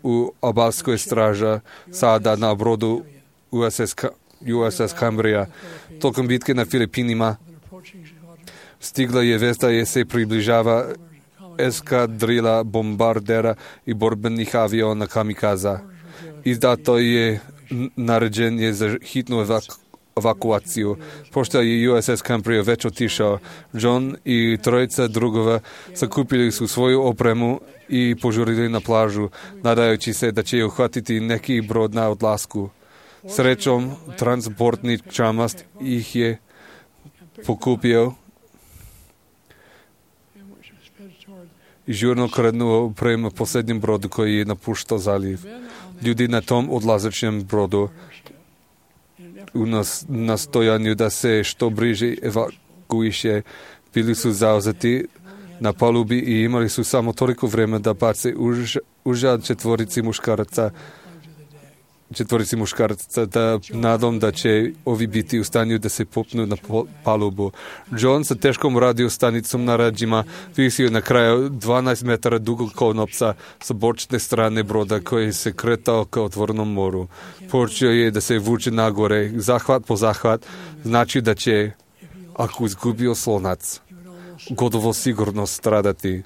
u obalskoj straži sada na brodu USS Cambria. Tokom bitke na Filipinima stigla je vest da je se približava eskadrila bombardera i borbenih aviona kamikaza. Izdato je naređenje za hitnu evakuaciju. Pošto je USS Cambria već otišao, John i trojica drugova sakupili su svoju opremu i požurili na plažu, nadajući se da će uhvatiti neki brod na odlasku. Srećom, transportni čamast ih je pokupio i žurno krenuo prema posljednjem brodu koji je napuštao zaliv. Ljudi na tom odlazećem brodu u nastojanju da se što bliže evakuiše bili su zauzeti na palubi i imali su samo toliko vremena da bace užad četvorici muškaraca da nadom da će ovi biti u stanju da se popnu na palubu. John sa teškom radio stanicom na rađima visio na kraju 12 metara dugog konopca sa bočne strane broda koji se kretao ka otvorenom moru. Počeo je da se vuče nagore, zahvat po zahvat, znači da će, ako izgubio slonac, gotovo sigurno stradati.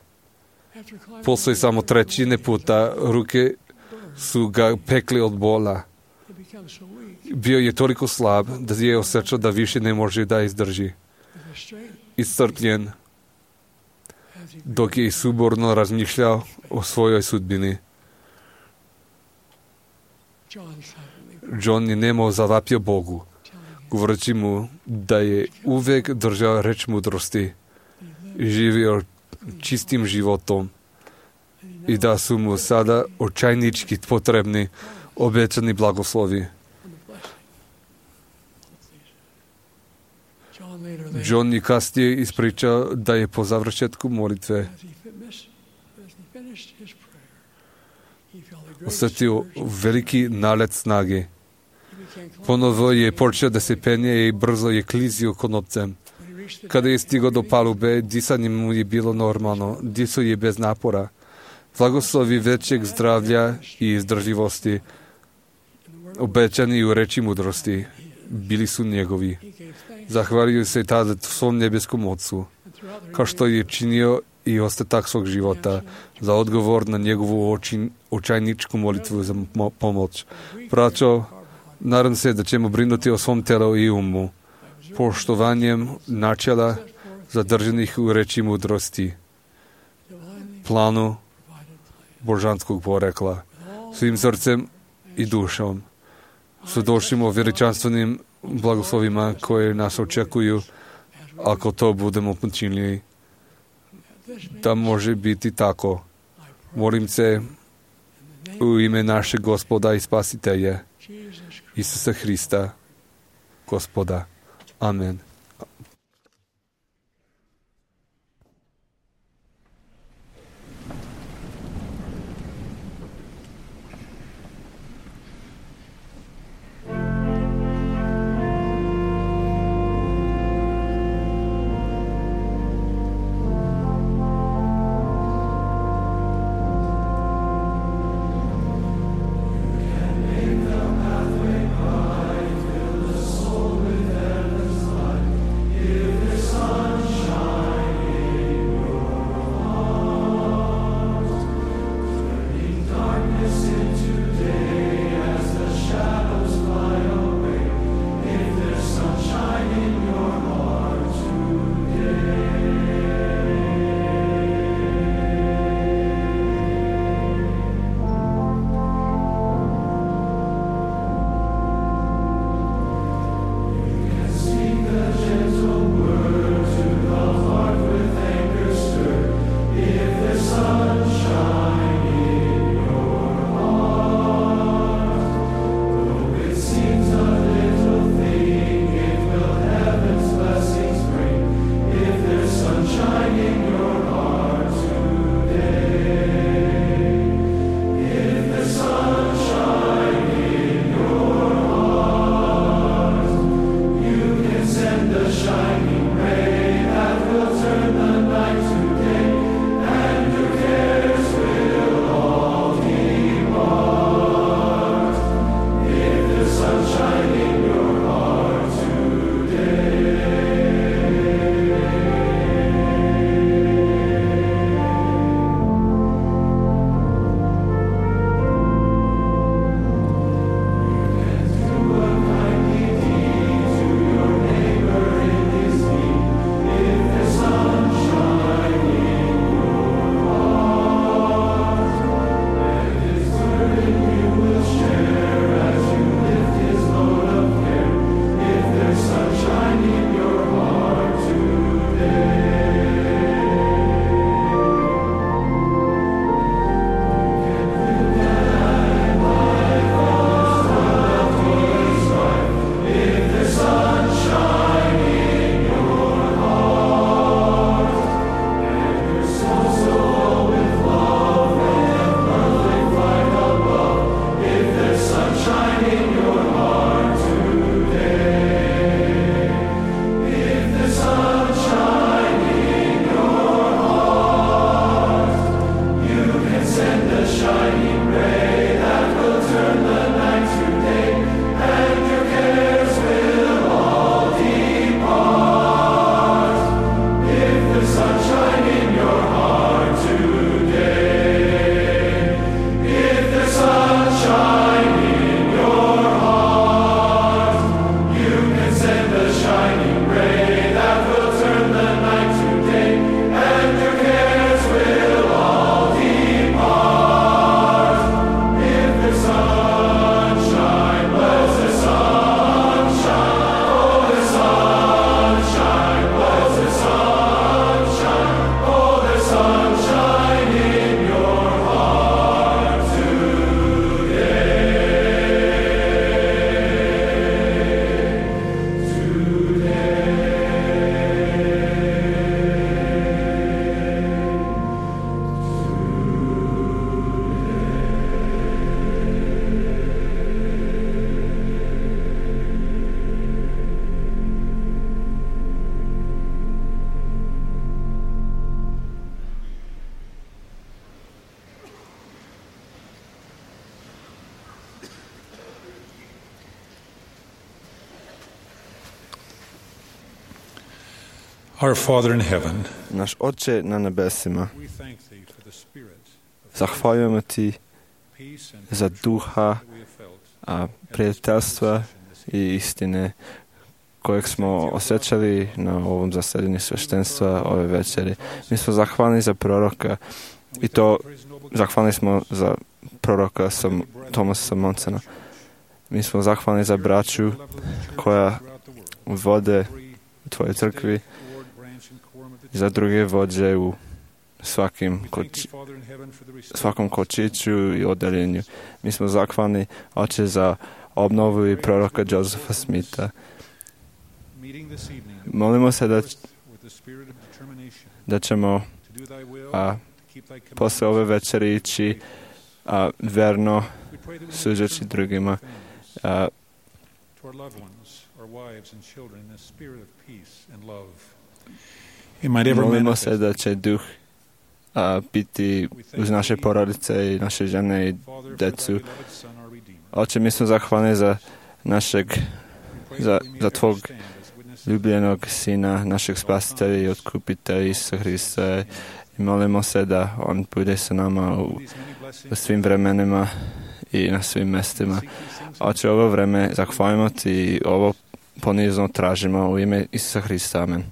Poslije samo trećine puta ruke su ga pekli od bola. Bio je toliko slab da je osjećao da više ne može da izdrži. Iscrpljen, dok je suborno razmišljao o svojoj sudbini. John je nemo zavapio Bogu, govoreći mu da je uvek držao reč mudrosti, živio čistim životom i da su mu sada očajnički potrebni obećani blagoslovi. John je kasnije ispričao da je po završetku molitve osjetio veliki nalet snage. Ponovo je počeo da se penje i brzo je klizio konopcem. Kada je stigao do palube, disanje mu je bilo normalno, disao je bez napora. Blagoslovi većeg zdravlja i izdržljivosti, obećani u reči mudrosti, bili su njegovi. Zahvalio se tada svom nebeskom Otcu, kao što je činio i ostatak svog života, za odgovor na njegovu očajničku molitvu za pomoć. Braćo, nadam se da ćemo brinuti o svom telu i umu, poštovanjem načela zadržanih u reči mudrosti, planu božanskog porekla, svim srcem i dušom. Svjedočimo veličanstvenim blagoslovima koje nas očekuju ako to budemo počinili. Da može biti tako. Molim se u ime našeg Gospoda i Spasitelja, Isusa Hrista, Gospoda. Amen. Make the pathway bright, fill the soul with endless light. Our Father in heaven, Naš Oče na nebesima, we thank Thee for the Spirit of zahvaljujemo Ti peace and za duha that we have felt. a prijateljstva i istine kojeg smo osjećali na ovom zasedanju sveštenstva ove večeri. Mi smo zahvalni za proroka i to zahvalni smo za proroka Thomasa Monsona. Mi smo zahvalni za braću koja vode u Tvojoj crkvi i za druge vođe u svakom kočiću i odeljenju. Mi smo zahvalni, Oče, za obnovu i proroka Josepha Smitha. Molimo se da ćemo posle ove večeri ići verno suđeći drugima. Molimo se da će duh biti uz naše porodice i naše žene i decu. Oče, mi smo zahvalni za Tvog ljubljenog Sina, našeg spasitelja i otkupitelja Isusa Hrista. I molimo se da On bude sa nama u svim vremenima i na svim mestima. Oče, ovo vreme zahvaljujemo Ti i ovo ponizno tražimo u ime Isusa Hrista. Amen.